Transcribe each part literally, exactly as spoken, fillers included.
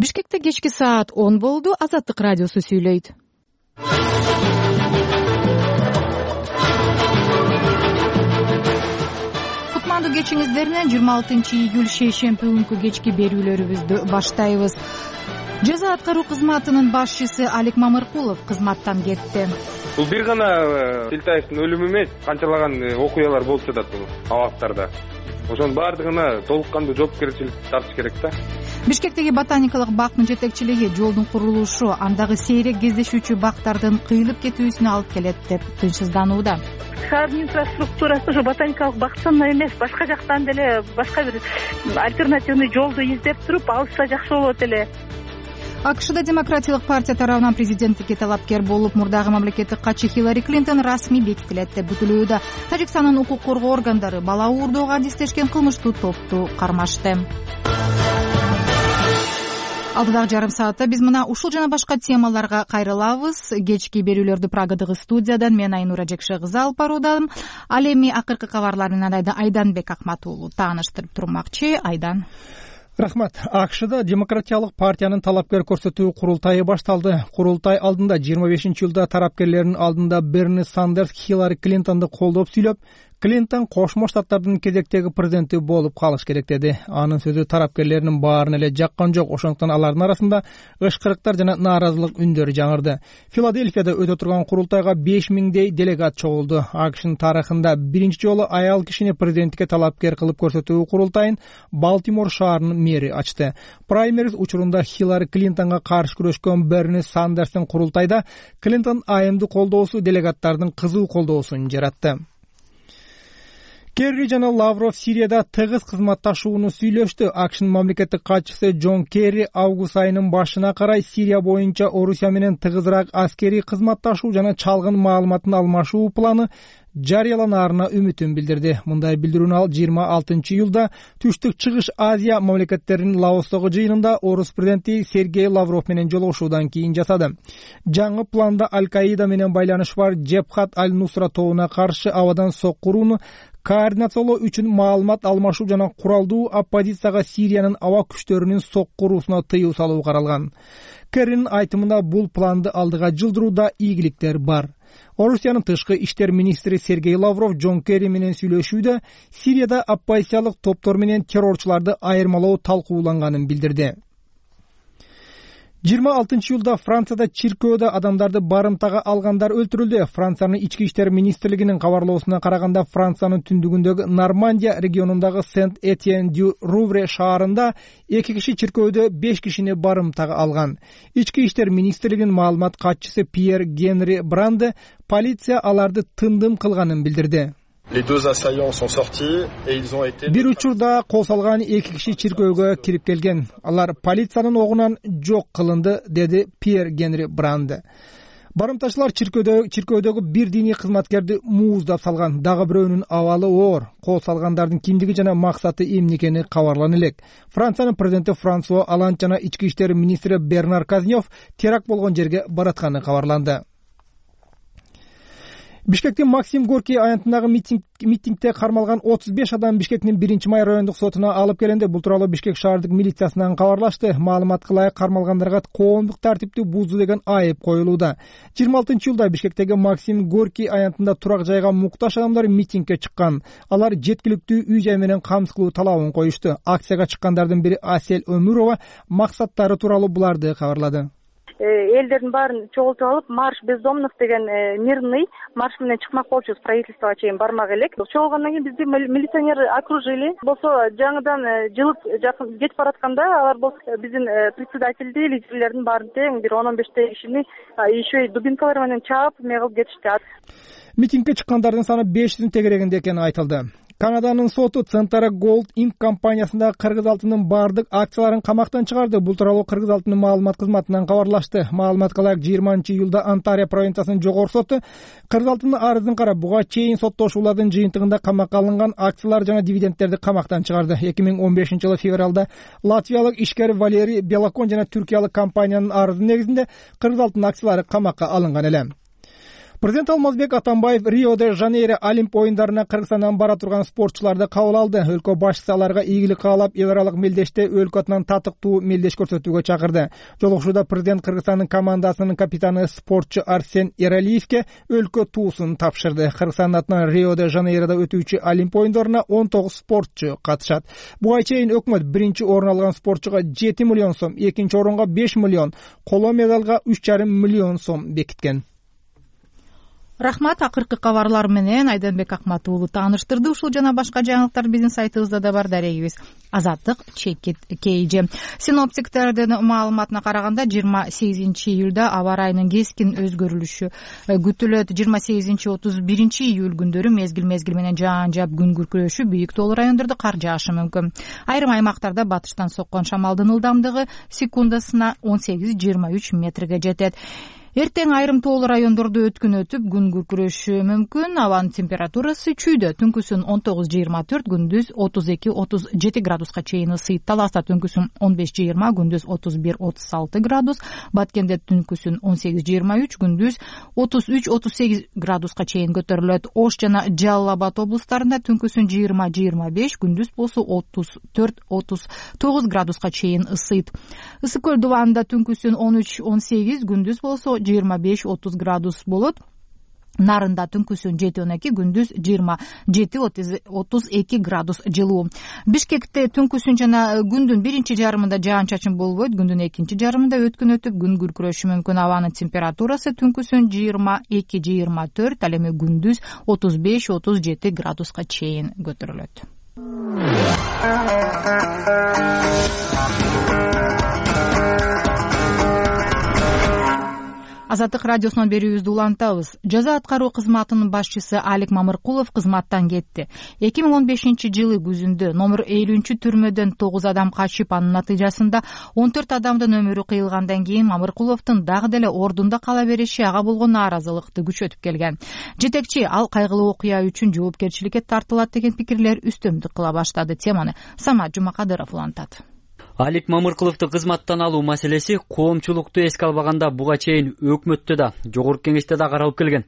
Бишкекте кечки саат он болду. Азаттык радиосу сүйлөйт. Кутмандуу кечиңиздеринен жыйырма алтынчы июль шейшемби күнкү кечки берүүлөрүбүздү баштайбыз. Жаза аткаруу кызматынын башчысы Алик Мамыркулов кызматтан кетти. Бул бир гана Тилтаевдин өлүмү эмес, канчалаган окуялар болуп жатат бул абактарда. Ошонун баардыгына толук кандуу жоопкерчилик тартыш керек да. Бишкектеги ботаникалык бактын жетекчилиги жолдун курулушу андагы сейрек кездешүүчү бактардын кыйылып кетүүсүнө алып келет деп тынчсызданууда. Шаардын инфраструктурасы ушу ботаникалык бактан эмес, башка жактан деле башка бир альтернативный жолду издеп туруп алышса жакшы болот эле. АКШда Демократиялык партия тарабынан президенттикке талапкер болуп, мурдагы мамлекеттик катчы Хиллари Клинтон расмий бекитилет деп күтүлүүдө. Тажикстандын укук коргоо органдары бала уурдоого адистешкен кылмыштуу топту кармашты. Алдыдагы жарым саатта биз мына ушул жана башка темаларга кайрылабыз. Кечки берүүлөрдү Праgadагы студиядан мен Айнура Жекшегызы алып баруудамын. Ал эми акыркы кабарлар менен Айданбек Акматуулу тааныштырып турмакчы. Айдан. Рахмат. АКШда Демократиялык партиянын талапкер көрсөтүү курултайы башталды. Курултай алдында жыйырма бешинчи июлда тарапкерлердин алдында Берни Сандерс Хиллари Клинтонду колдоп сүйлөп, Клинтон Кошмо Штаттардын кезектеги президенти болуп калыш керек деди. Анын сөзү тарапкерлеринин баарын эле жаккан жок. Ошондуктан алардын арасында ышкырыктар жана нааразылык үндөрү жаңырды. Филадельфияда өтө турган курултайга беш миңдей делегат чогулду. АКШнын тарыхында биринчи жолу аял кишини президенттикке талапкер кылып көрсөтүү курултайын Балтимор шаарынын мэри ачты. Праймериз учурунда Хиллари Клинтонго каршы күрөшкөн Берни Сандерстин курултайда Клинтон айымды колдоосу делегаттардын кызуу колдоосун жаратты. Керри жана Лавров Сирияда тыгыз кызматташууну сүйлөштү. АКШнын мамлекеттик катчысы Джон Керри август айынын башына карай Сирия боюнча Орусия менен тыгызыраак аскерий кызматташуу жана чалгын маалыматын алмашуу планы жарыяланаарына үмүтүн билдирди. Мындай билдирүүнү ал жыйырма алтынчы июлда Түштүк Чыгыш Азия мамлекеттеринин Лаостогу жыйынында орус президенти Сергей Лавров менен жолугушуудан кийин жасады. Жаңы планда Аль-Каида менен байланышы бар Джебхат аль-Нусра тобуна каршы абадан соккурууну координациялоо үчүн маалымат алмашуу жана куралдуу оппозицияга Сириянын аба күчтөрүнүн соккуруусуна тыюу салуу каралган. Керринин айтымында бул планды алдыга жылдырууда ийгиликтер бар. Орусиянын тышкы иштер министри Сергей Лавров Джон Керри менен сүйлөшүүдө Сирияда оппозициялык топтор менен террорчуларды айырмалоо талкууланганын билдирди. жыйырма алтынчы июлда Францияда чиркөөдө адамдарды барымтага алгандар өлтүрүлдү. Франциянын ички иштер министрлигинин кабарлоосуна караганда Франциянын түндүгүндөгү Нормандия регионундагы Сент-Этьен-дю-Рувре шаарында эки киши чиркөөдө беш кишини барымтага алган. Ички иштер министрлигинин маалымат катчысы Пьер Генри Бранде полиция аларды тындым кылганын билдирди. Бир учурда кол салган эки киши чиркөөгө кирип келген. Алар полициянын огунан жок кылынды, деди Пьер Генри Бранде. Барымтачылар чиркөөдөгү чиркөөдөгү бир диний кызматкерди мууздап салган. Дагы бирөөнүн абалы оор. Кол салгандардын кимдиги жана максаты эмне экени кабарлана элек. Франциянын президенти Франсуа Олланд жана ички иштер министри Бернар Казнев теракт болгон жерге баратканы кабарланды. Бишкектин Максим Горький аянтындагы митинг, митингде кармалган отуз беш адам Бишкектин биринчи май райондук сотуна алып келинди. Бул тууралуу Бишкек шаардык милициясынан кабарлашты. Маалыматка ылайык кармалгандарга коомдук тартипти бузуу деген айып коюлууда. жыйырма алтынчы июлда Бишкектеги Максим Горький аянтында турак жайга муктаж адамдар митингге чыккан. Алар жеткиликтүү үй жай менен камсыз кылуу талабын коюшту. Акцияга чыккандардын бири Асель Өмүрова максаттары тууралуу буларды кабарлады. Элдердин баарын чогултуп алып, марш бездомных деген мирный марш менен чыкмак болчубуз, правительствого чейин бармак элек. Чогулгандан кийин бизди милиционер окружили. Болсо жаңыдан жылып жакын кетип баратканда алар болсо биздин председательди, лидерлердин баарын тең бир он он бештей кишини еще и дубинкалар менен чаап эме кылып кетишти. Митингге чыккандардын саны беш жүздүн тегерегинде экени айтылды. Канаданын соту Центара Gold Inc компаниясындагы кыргыз алтынынын бардык акцияларын камактан чыгарды. Бул тууралуу кыргыз алтынынын маалымат кызматынан кабарлашты. Маалыматка ылайык жыйырманчы июлда Онтарио провинциясынын жогорку соту кыргыз алтынынын арызын карап, буга чейин соттошуулардын жыйынтыгында камакка алынган акциялар жана дивидендтерди камактан чыгарды. эки миң он бешинчи жылы февралда латвиялык ишкер Валерий Белакон жана түркиялык компаниянын арызы негизинде кыргыз алтынынын акциялары камакка алынган эле. Президент Алмазбек Атамбаев Рио-де-Жанейро Олимп оюндарына Кыргызстандан бара турган спортчуларды кабыл алды. Өлкө башчысы аларга ийгилик каалап, эл аралык мелдеште өлкө атынан татыктуу мелдеш көрсөтүүгө чакырды. Жолугушууда президент Кыргызстандын командасынын капитаны спортчу Арсен Эралиевке өлкө туусун тапшырды. Кыргызстандын атынан Рио-де-Жанейродо өтүүчү Олимп оюндарына он тогуз спортчу катышат. Буга чейин өкмөт биринчи орун алган спортчуга жети миллион сом, экинчи орунга беш миллион, коло медалга үч жарым миллион сом бекиткен. Рахмат, акыркы кабарлар менен Айданбек Акматов уулу тааныштырды. Ушул жана башка жаңылыктар биздин сайтыбызда да бар. Дарегибиз Азаттык чекит кейжи. Синоптиктердин маалыматына караганда жыйырма сегизинчи июлда аба ырайынын кескин өзгөрүлүшү күтүлөт. жыйырма сегизинчи отуз биринчи июль күндөрү мезгил мезгил менен жаан жаап күн күркүрөшү, бийик тоолуу райондордо кар жаашы мүмкүн. Айрым аймактарда батыштан соккон шамалдын ылдамдыгы секундасына он сегиз жыйырма үч метрге жетет. Эртең айрым тоолуу райондордо өткүн өтүп, күн күркүрөшү мүмкүн. Абанын температурасы чүйдө. Түнкүсүн он тогуз жыйырма төрт, күндүз отуз эки отуз жети градуска чейин ысыйт. Таласта түнкүсүн он беш жыйырма, күндүз отуз бир отуз алты градус. Баткенде түнкүсүн он сегиз жыйырма үч, күндүз отуз үч отуз сегиз градуска чейин көтөрүлөт. Ош жана Жалал Абад облустарында түнкүсүн жыйырма жыйырма беш, күндүз болсо отуз төрт отуз тогуз градуска чейин ысыйт. Ысык көл дубанында түнкүсүн он үч он сегиз, күндүз болсо жыйырма беш отуз градус болот. Нарында түнкүсүн жети он эки, күндүз жыйырма жети отуз эки градус жылуу. Бишкекте түнкүсүн жана күндүн биринчи жарымында жаан чачын болбойт, күндүн экинчи жарымында өткүн өтүп, күн күркүрөшү мүмкүн. Абанын температурасы түнкүсүн жыйырма эки жыйырма төрт, ал эми күндүз отуз беш отуз жети градуска чейин көтөрүлөт. Азаттык радиосунан берүүбүздү улантабыз. Жаза аткаруу кызматынын башчысы Алик Мамыркулов кызматтан кетти. эки миң он бешинчи жылы күзүндө номер элүүнчү түрмөдөн тогуз адам качып, анын натыйжасында он төрт адамдын өмүрү кыйылгандан кийин Мамыркуловдун дагы деле ордунда кала бериши ага болгон нааразылыкты күчөтүп келген. Жетекчи ал кайгылуу окуя үчүн жоопкерчиликке тартылат деген пикирлер үстөмдүк кыла баштады. Теманы Самат Жумакадыров улантат. Алик Мамыркуловду кызматтан алуу маселеси коомчулукту эске албаганда буга чейин өкмөттө да, жогорку кеңеште да каралып келген.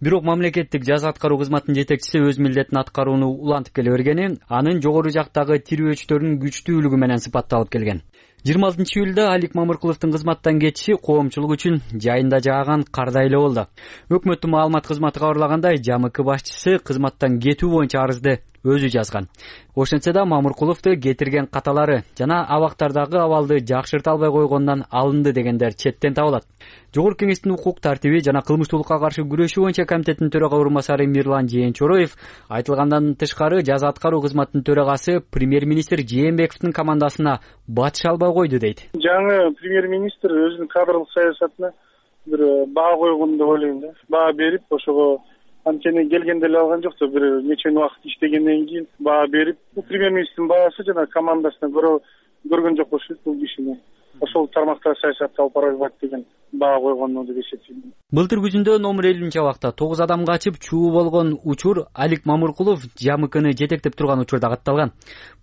Бирок мамлекеттик жаза аткаруу кызматынын жетекчиси өз милдетин аткарууну улантып келе бергени анын жогору жактагы тирөөчтөрүнүн күчтүүлүгү менен сыпатталып келген. жыйырма алтынчы июлда Алик Мамыркуловдун кызматтан кетиши коомчулук үчүн жайында жааган кардай эле болду. Өкмөттүн маалымат кызматы кабарлагандай, ЖАМК башчысы кызматтан кетүү боюнча арызды өзү жазган. Ошентсе да Мамыркуловду кетирген каталары жана абактардагы абалды жакшырта албай койгондон алынды дегендер четтен табылат. Жогорку кеңештин укук тартиби жана кылмыштуулукка каршы күрөшүү боюнча комитеттин төрага орун басары Мирлан Жээнчороев айтылгандан тышкары жаза аткаруу кызматынын төрагасы премьер-министр Жээнбековдун командасына батыша албай койду дейт. Жаңы премьер-министр өзүнүн кадрлык саясатына бир баа койгон деп ойлойм да. Баа берип, ошого анткени келгенде эле алган жок да, бир нече убакыт иштегенден кийин баа берип, бул премьер-министрдин баасы жана командасына көрө көргөн жок болуш керек бул кишини. Ошол тармакта саясатты алып бара албайт деген баа койгону деп эсептейм. Былтыр күзүндө номер элүүнчү абакта тогуз адам качып чуу болгон учур Алик Мамыркулов ЖАМКны жетектеп турган учурда катталган.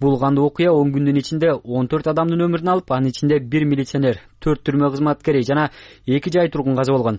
Бул кандуу окуя он күндүн ичинде он төрт адамдын өмүрүн алып, анын ичинде бир милиционер, төрт түрмө кызматкери жана эки жай тургун каза болгон.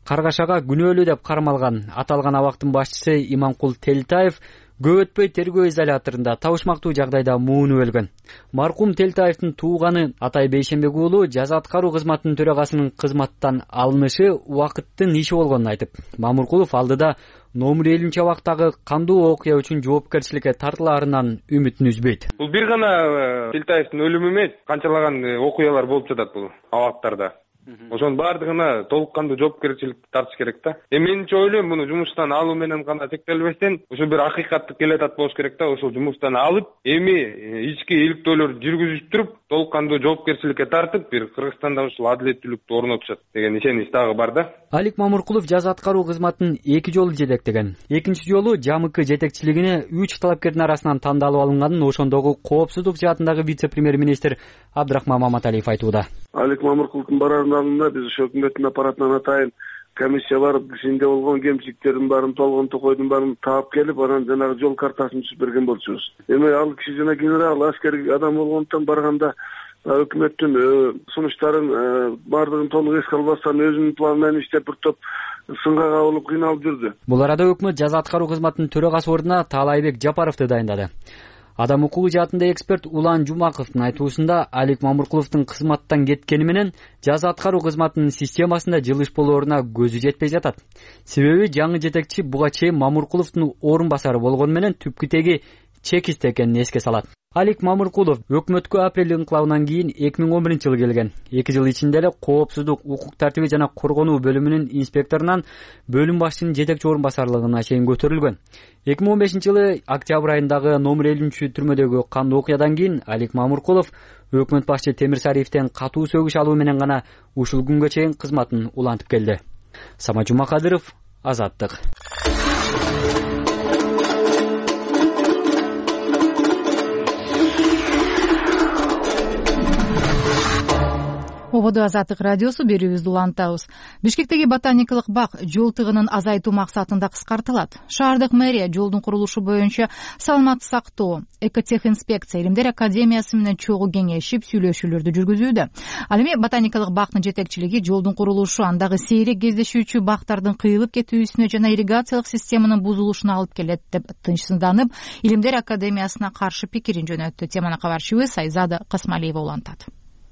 Каргашага күнөөлүү деп кармалган аталган абактын башчысы Иманкул Телтаев көп өтпөй тергөө изоляторунда табышмактуу жагдайда муунуп өлгөн. Маркум Телтаевдин тууганы Атай Бейшенбек уулу жаза аткаруу кызматынын төрагасынын кызматтан алынышы убакыттын иши болгонун айтып, Мамыркулов алдыда номер элүүнчү абактагы кандуу окуя үчүн жоопкерчиликке тартылаарынан үмүтүн үзбөйт. Бул бир гана Телтаевдин өлүмү эмес, канчалаган окуялар болуп жатат бул абактарда. Ошонун баардыгына толук кандуу жоопкерчиликти тартыш керек да. Эми менче ойлойм, муну жумуштан алуу менен гана чектелбестен, ошо бир акыйкаттык келатат болуш керек да. Ошол жумуштан алып, эми ички иликтөөлөр жүргүзүп туруп, толук кандуу жоопкерчиликке тартып, бир Кыргызстанда ушул адилеттүүлүктү орнотушат деген ишенич дагы бар да. Алик Мамыркулов жаза аткаруу кызматын эки жолу жетектеген. Экинчи жолу ЖАМК жетекчилигине үч талапкердин арасынан тандалып алынганын ошондогу коопсуздук жаатындагы вице-премьер-министр Абдрахман Маматалиев айтууда. Алик Мамыркуловдун барарын алдында биз ошо өкмөттүн аппаратынан атайын комиссия барып, ишинде болгон кемчиликтердин баарын, толгон токойдун баарын таап келип, анан жанагы жол картасын түзүп берген болчубуз. Эми ал киши жана генерал, аскер адам болгондуктан барганда өкмөттүн сунуштарын баардыгын толук эске албастан өзүнүн планы менен иштеп бир топ сынга кабылып кыйналып жүрдү. Бул арада өкмөт жаза аткаруу кызматынын төрагасы ордуна Таалайбек Жапаровду дайындады. Адам укугу жаатында эксперт Улан Жумаковдун айтуусунда Алик Мамыркуловдун кызматтан кеткени менен жаза аткаруу кызматынын системасында жылыш болооруна көзү жетпей жатат. Себеби жаңы жетекчи буга чейин Мамыркуловдун орун басары болгону менен түпкү теги чекист экенин эске салат. Алик Мамыркулов өкмөткө апрель инкылабынан кийин эки миң он биринчи жылы келген. эки жыл ичинде эле коопсуздук, укук тартиби жана коргонуу бөлүмүнүн инспекторунан бөлүм башчынын жетекчи орун басарлыгына чейин көтөрүлгөн. эки миң он бешинчи жылы октябрь айындагы номер элүүнчү түрмөдөгү кандуу окуядан кийин Алик Мамыркулов өкмөт башчы Темирсариевден катуу сөгүш алуу менен гана ушул күнгө чейин кызматын улантып келди. Самат Жумакадыров, Азаттык. Ободо Азаттык радиосу берүүбүздү улантабыз. Бишкектеги ботаникалык бак жол тыгынын азайтуу максатында кыскартылат. Шаардык мэрия жолдун курулушу боюнча саламатты сактоо, экотехинспекция, Илимдер академиясы менен чогуу кеңешип сүйлөшүүлөрдү жүргүзүүдө. Ал эми ботаникалык бактын жетекчилиги жолдун курулушу андагы сейрек кездешүүчү бактардын кыйылып кетүүсүнө жана ирригациялык системанын бузулушуна алып келет деп тынчсызданып, Илимдер академиясына каршы пикирин жөнөттү. Теманы кабарчыбыз Айзада Касмалиева улантат.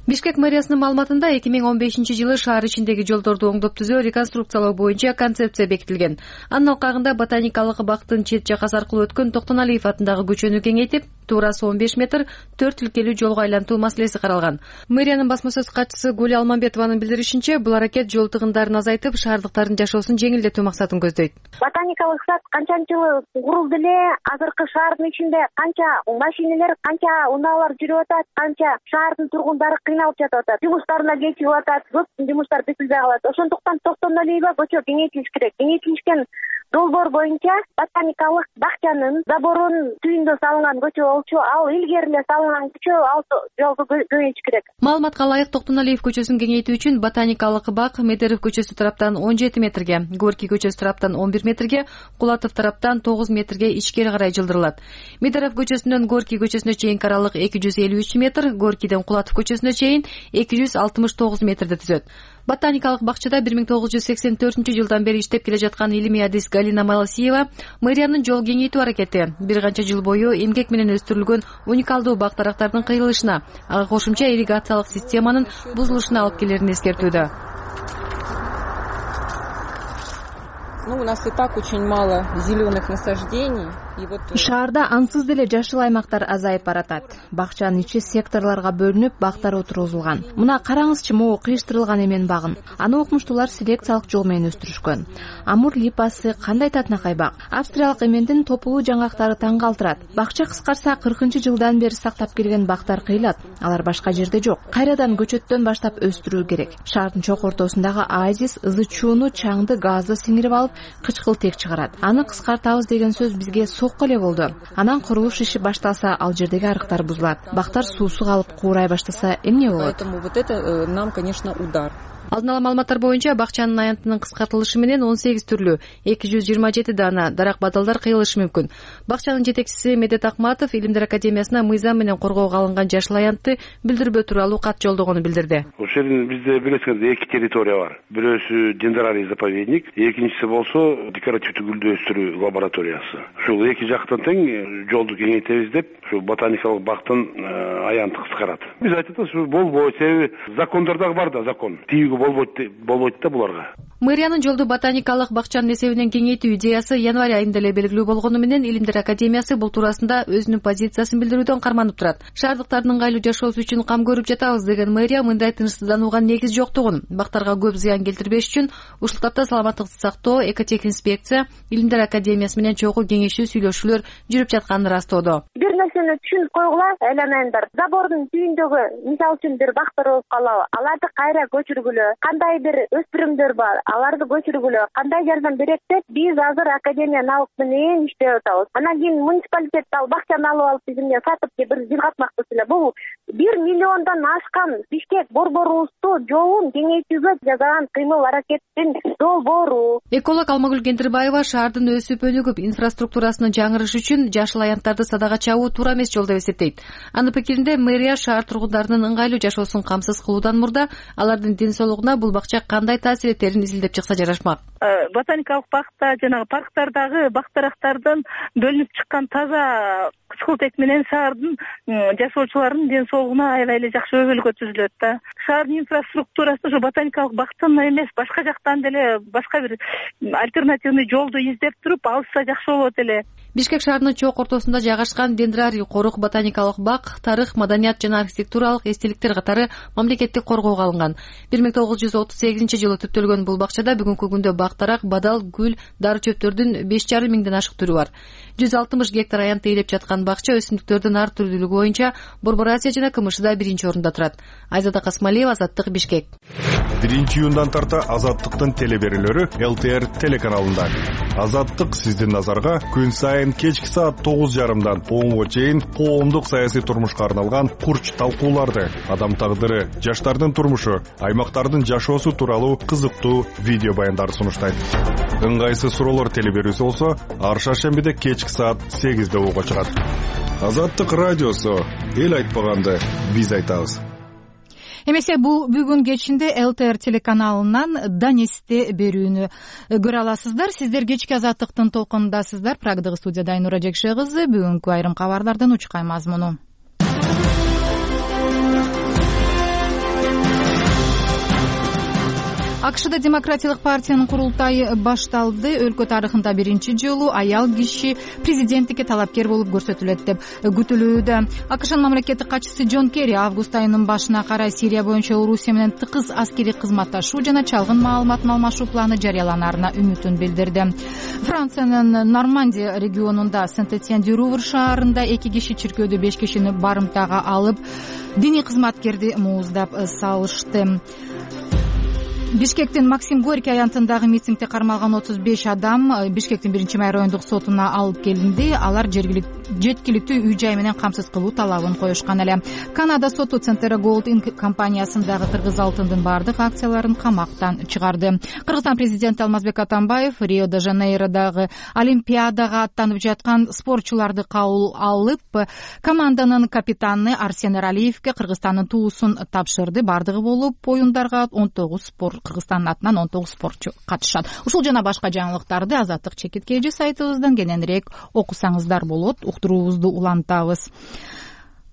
Бишкек мэриясынын маалыматында эки миң он бешинчи жылы шаар ичиндеги жолдорду оңдоп түзөө, реконструкциялоо боюнча концепция бекитилген. Анын алкагында ботаникалык бактын чет жакасы аркылуу өткөн Токтоналиев атындагы көчөнү кеңейтип, туурасы он беш метр төрт тилкелүү жолго айлантуу маселеси каралган. Мэриянын басма сөз катчысы Гүл Алмамбетованын билдиришинче, бул аракет жол тыгындарын азайтып, шаардыктардын жашоосун жеңилдетүү максатын көздөйт. Ботаникалык сад канчанчы жылы курулду эле, азыркы шаардын ичинде канча машиналар, канча унаалар жүрүп атат, канча шаардын тургундары кыйналып жатып атат, жумуштарына кечигип атат, көп жумуштар бүтүлбөй калат. Ошондуктан Токтоналиева көчө кеңейтилиш керек. Кеңейтилишкен долбоор боюнча ботаникалык бакчанын заборунун түбүндө салынган көчө болчу, ал илгери эле салынган көчө, ал жолду кеңейтиш керек. Маалыматка ылайык, Токтоналиев көчөсүн кеңейтүү үчүн ботаникалык бак Медеров көчөсү тараптан он жети метрге, Горький көчөсү тараптан он бир метрге, Кулатов тараптан тогуз метрге ичкери карай жылдырылат. Медеров көчөсүнөн Горький көчөсүнө чейинки аралык эки жүз элүү үч метр, Горькийден Кулатов көчөсүнө чейин эки жүз алтымыш тогуз метрди түзөт. Ботаникалык бакчада бир миң тогуз жүз сексен төртүнчү жылдан бери иштеп келе жаткан илимий адис Галина Маласиева мэриянын жол кеңейтүү аракети бир канча жыл бою эмгек менен өстүрүлгөн уникалдуу бак дарактардын кыйылышына, ага кошумча ирригациялык системанын бузулушуна алып келерин эскертүүдө. Ну, у нас и так очень мало зеленых насаждений. Шаарда ансыз деле жашыл аймактар азайып баратат. Бакчанын ичи секторлорго бөлүнүп, бактар отургузулган. Мына караңызчы, могу кыйыштырылган эмен багын. Аны окумуштуулар селекциялык жол менен өстүрүшкөн. Амур липасы кандай татынакай бак. Австриялык эмендин топулуу жаңгактары таң калтырат. Бакча кыскарса кыркынчы жылдан бери сактап келген бактар кыйылат. Алар башка жерде жок. Кайрадан көчөттөн баштап өстүрүү керек. Шаардын чок ортосундагы оазис ызы чууну, чаңды, газды сиңирип алып, кычкыл тек чыгарат. Аны кыскартабыз деген сөз бизге сокко эле болду. Анан курулуш иши башталса, ал жердеги арыктар бузулат. Бактар суусу калып куурай баштаса эмне болот? Поэтому вот это нам, конечно, удар. Алдын ала маалыматтар боюнча бакчанын аянтынын кыскартылышы менен он сегиз түрлүү эки жүз жыйырма жети дана дарак бадалдар кыйылышы мүмкүн. Бакчанын жетекчиси Медет Акматов Илимдер академиясына мыйзам менен коргоого алынган жашыл аянтты билдирбөө тууралуу кат жолдогону билдирди. Ошол жерде бизде билесиңер эки территория бар. Бирөөсү дендрарий заповедник, экинчиси болсо декоративдүү гүлдү өстүрүү лабораториясы. Ушул эки жактан тең жолду кеңейтебиз деп, ушу ботаникалык бактын аянты кыскарат. Биз айтып атабыз, ушу болбойт, себеби закондордо бар да закон. болбойт болбойт да буларга. Мэриянын жолду ботаникалык бакчанын эсебинен кеңейтүү идеясы январь айында эле белгилүү болгону менен Илимдер академиясы бул туурасында өзүнүн позициясын билдирүүдөн карманып турат. Шаардыктардын ыңгайлуу жашоосу үчүн кам көрүп жатабыз деген мэрия мындай тынчсызданууга негиз жоктугун, бактарга көп зыян келтирбеш үчүн ушул тапта саламаттыкты сактоо, экотехинспекция, Илимдер академиясы менен чогуу кеңешүү сүйлөшүүлөр жүрүп жатканын ырастоодо. Бир нерсени түшүнүп койгула, айланайындар. Забордун түбүндөгү мисалы үчүн бир бактар болуп калабы, аларды кайра көчүргүлө, кандай бир өспүрүмдөр бар, аларды көчүргүлө кандай жардам берет деп биз азыр Академия наук менен иштеп атабыз. Анан кийин муниципалитет ал бакчаны алып алып бизге сатып бир жыл катмакчы эле. Бул бир миллиондон ашкан Бишкек борборубузду жолун кеңейтүүгө жасаган кыймыл аракеттин долбоору. Эколог Алмагүл Кендирбаева шаардын өсүп өнүгүп инфраструктурасынын жаңырышы үчүн жашыл аянттарды садага чабуу туура эмес жол деп эсептейт. Анын пикиринде мэрия шаар тургундарынын ыңгайлуу жашоосун камсыз кылуудан мурда алардын ден соолугуна бул бакча кандай таасир этерин изилдеп чыкса жарашмак. Ботаникалык бакта жанагы парктардагы бактарактардан бөлүнүп чыккан таза кычкылтек менен шаардын жашоочуларынын ден соолугуна аябай эле жакшы өбөлгө түзүлөт да. Шаардын инфраструктурасын ошо ботаникалык бактан эмес, башка жактан деле башка бир альтернативный жолду издеп туруп алышса жакшы болот эле. Бишкек шаарынын чок ортосунда жайгашкан Дендрарий корук ботаникалык бак тарых, маданият жана архитектуралык эстеликтер катары мамлекеттик коргоого алынган. бир миң тогуз жүз отуз сегизинчи жылы түптөлгөн бул бакчада бүгүнкү күндө бактарак, бадал, гүл, дары чөптөрдүн беш жарым миңден ашык түрү бар. жүз алтымыш гектар аянт ээлеп жаткан бакча өсүмдүктөрдүн ар түрдүүлүгү боюнча Борбор Азия жана КМШда биринчи орунда турат. Айзада Касмалиева, Азаттык, Бишкек. биринчи июндан тарта Азаттыктын телеберүүлөрү Эл Т Р телеканалында. Азаттык сиздин назарга күн сайын кечки саат тогуз жарымдан онго чейин коомдук саясий турмушка арналган курч талкууларды, адам тагдыры, жаштардын турмушу, аймактардын жашоосу тууралуу кызыктуу видео баяндарды сунуштайт. Ыңгайсыз суроолор телеберүүсү болсо, ар шаршембиде кечки саат сегизде угууга чыгат. Азаттык радиосу, эл айтпаганды биз айтабыз. Эмесе бул бүгүн кечинде Эл Т Р телеканалынан Данесте берүүнү көрө аласыздар. Сиздер кечки Азаттыктын толкунундасыздар. Прагдагы студияда Айнура Жекше кызы. Бүгүнкү айрым кабарлардын учкай мазмуну. АКШда Демократиялык партиянын курултайы башталды. Өлкө тарыхында биринчи жолу аял киши президенттикке талапкер болуп көрсөтүлөт деп күтүлүүдө. АКШнын мамлекеттик катчысы Джон Керри август айынын башына карай Сирия боюнча Орусия менен тыкыз аскерий кызматташуу жана чалгын маалыматын алмашуу планы жарыяланарына үмүтүн билдирди. Франциянын Нормандия регионунда Сент-Этьен-дю-Рувр шаарында эки киши чиркөөдө беш кишини барымтага алып, диний кызматкерди мууздап салышты. Бишкектин Максим Горький аянтындагы митингде кармалган отуз беш адам Бишкектин биринчи май райондук сотуна алып келинди. Алар жеткиликтүү үй-жай менен камсыз кылуу талабын коюшкан эле. Канада соту Центера Gold Inc компаниясындагы кыргыз алтындын бардык акцияларын камактан чыгарды. Кыргызстан президенти Алмазбек Атамбаев Рио-де-Жанейродогу Олимпиадага аттанып жаткан спортчуларды кабыл алып, команданын капитаны Арсен Эралиевке Кыргызстандын туусун тапшырды. Бардыгы болуп оюндарга он тогуз спорт Кыргызстандын атынан он тогуз спортчу катышат. Ушул жана башка жаңылыктарды Азаттык чекиткейжи сайтыбыздан кененирээк окусаңыздар болот. Уктуруубузду улантабыз.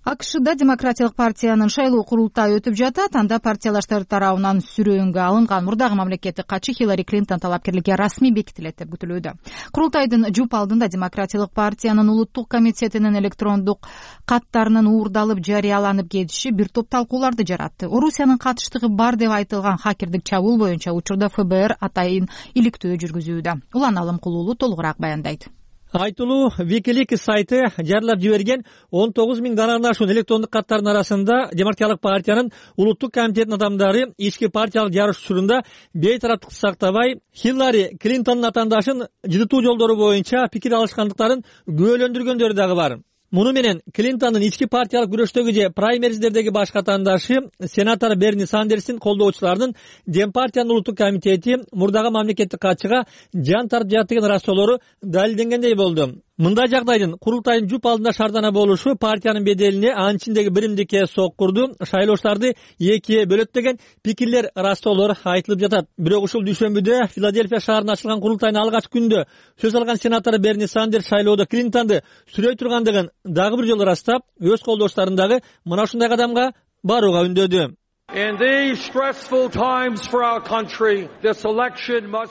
АКШда Демократиялык партиянын шайлоо курултайы өтүп жатат. Анда партиялаштар тарабынан сүрөөнгө алынган мурдагы мамлекеттик катчы Хиллари Клинтон талапкерликке расмий бекитилет деп күтүлүүдө. Курултайдын жуп алдында Демократиялык партиянын улуттук комитетинин электрондук каттарынын уурдалып жарыяланып кетиши бир топ талкууларды жаратты. Орусиянын катыштыгы бар деп айтылган хакердик чабуул боюнча учурда Эф Бэ Эр атайын иликтөө жүргүзүүдө. Улан Алым Кулуулу толугураак баяндайт. Айтылуу Wikileaks сайты жарыялап жиберген он тогуз миң данадан ашуун электрондук каттардын арасында Демократиялык партиянын улуттук комитетинин адамдары ички партиялык жарыш учурунда бейтараптыкты сактабай Хиллари Клинтондун атаандашын жытуу жолдору боюнча пикир алышкандыктарын күбөлөндүргөндөрү дагы бар. Муну менен Клинтондун ички партиялык күрөштөгү же праймериздердеги баш катаандашы сенатор Берни Сандерстин колдоочуларынын Дем партиянын улуттук комитети мурдагы мамлекеттик катчыга жан тартып жатат деген рассоолору далилденгендей болду. Мындай жагдайдын курултайдын жуп алдында шаардана болушу партиянын беделине анын ичиндеги биримдикке соккурду, шайлоочуларды экиге бөлөт деген пикирлер, рассоолор айтылып жатат. Бирок ушул дүйшөмбүдө Филадельфия шаарында ачылган курултайдын алгачкы күндө сөз алган сенатор Берни Сандерс шайлоодо Клинтонду сүрөй тургандыгын дагы бир жолу ырастап, өз колдоочуларын дагы мына ушундай кадамга барууга үндөдү.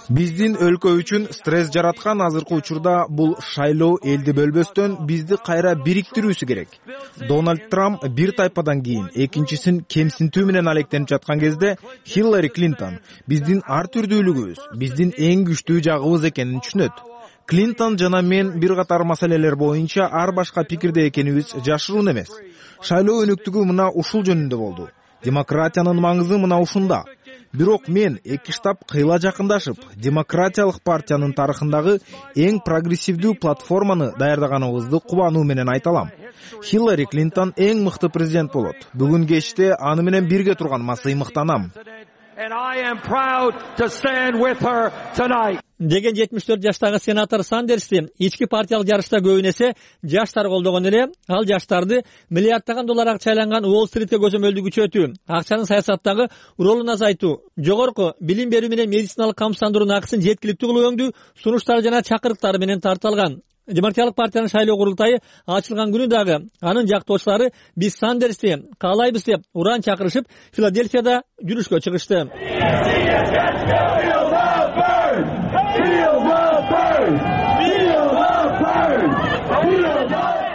Биздин өлкө үчүн стресс жараткан азыркы учурда бул шайлоо элди бөлбөстөн бизди кайра бириктирүүсү керек. Дональд Трамп бир тайпадан кийин экинчисин кемсинтүү менен алектенип жаткан кезде Хиллари Клинтон биздин ар түрдүүлүгүбүз, биздин эң күчтүү жагыбыз экенин түшүнөт. Клинтон жана мен бир катар маселелер боюнча ар башка пикирде экенибиз жашыруун эмес. Шайлоо өнүктүгү мына ушул жөнүндө болду. Демократиянын маңызы мына ушунда. Бирок мен эки штаб кыйла жакындашып, демократиялык партиянын тарыхындагы эң прогрессивдүү платформаны даярдаганыбызды кубануу менен айта алам. Хиллари Клинтон эң мыкты президент болот. Бүгүн кечте аны менен бирге турганыма сыймыктанам. деген жетимиш төрт жаштагы сенатор Сандерсти ички партиялык жарышта көбүн эсе жаштар колдогон эле. Ал жаштарды миллиарддаган доллар акча айланган Уолл-стритке көзөмөлдү күчөтүү, акчанын саясаттагы ролун азайтуу, жогорку билим берүү менен медициналык камсыздандыруунун акысын жеткиликтүү кылуу өңдүү сунуштары жана чакырыктары менен тартылган. Демократиялык партиянын шайлоо курултайы ачылган күнү дагы анын жактоочулары биз Сандерсти каалайбыз деп уран чакырышып, Филадельфияда жүрүшкө чыгышты.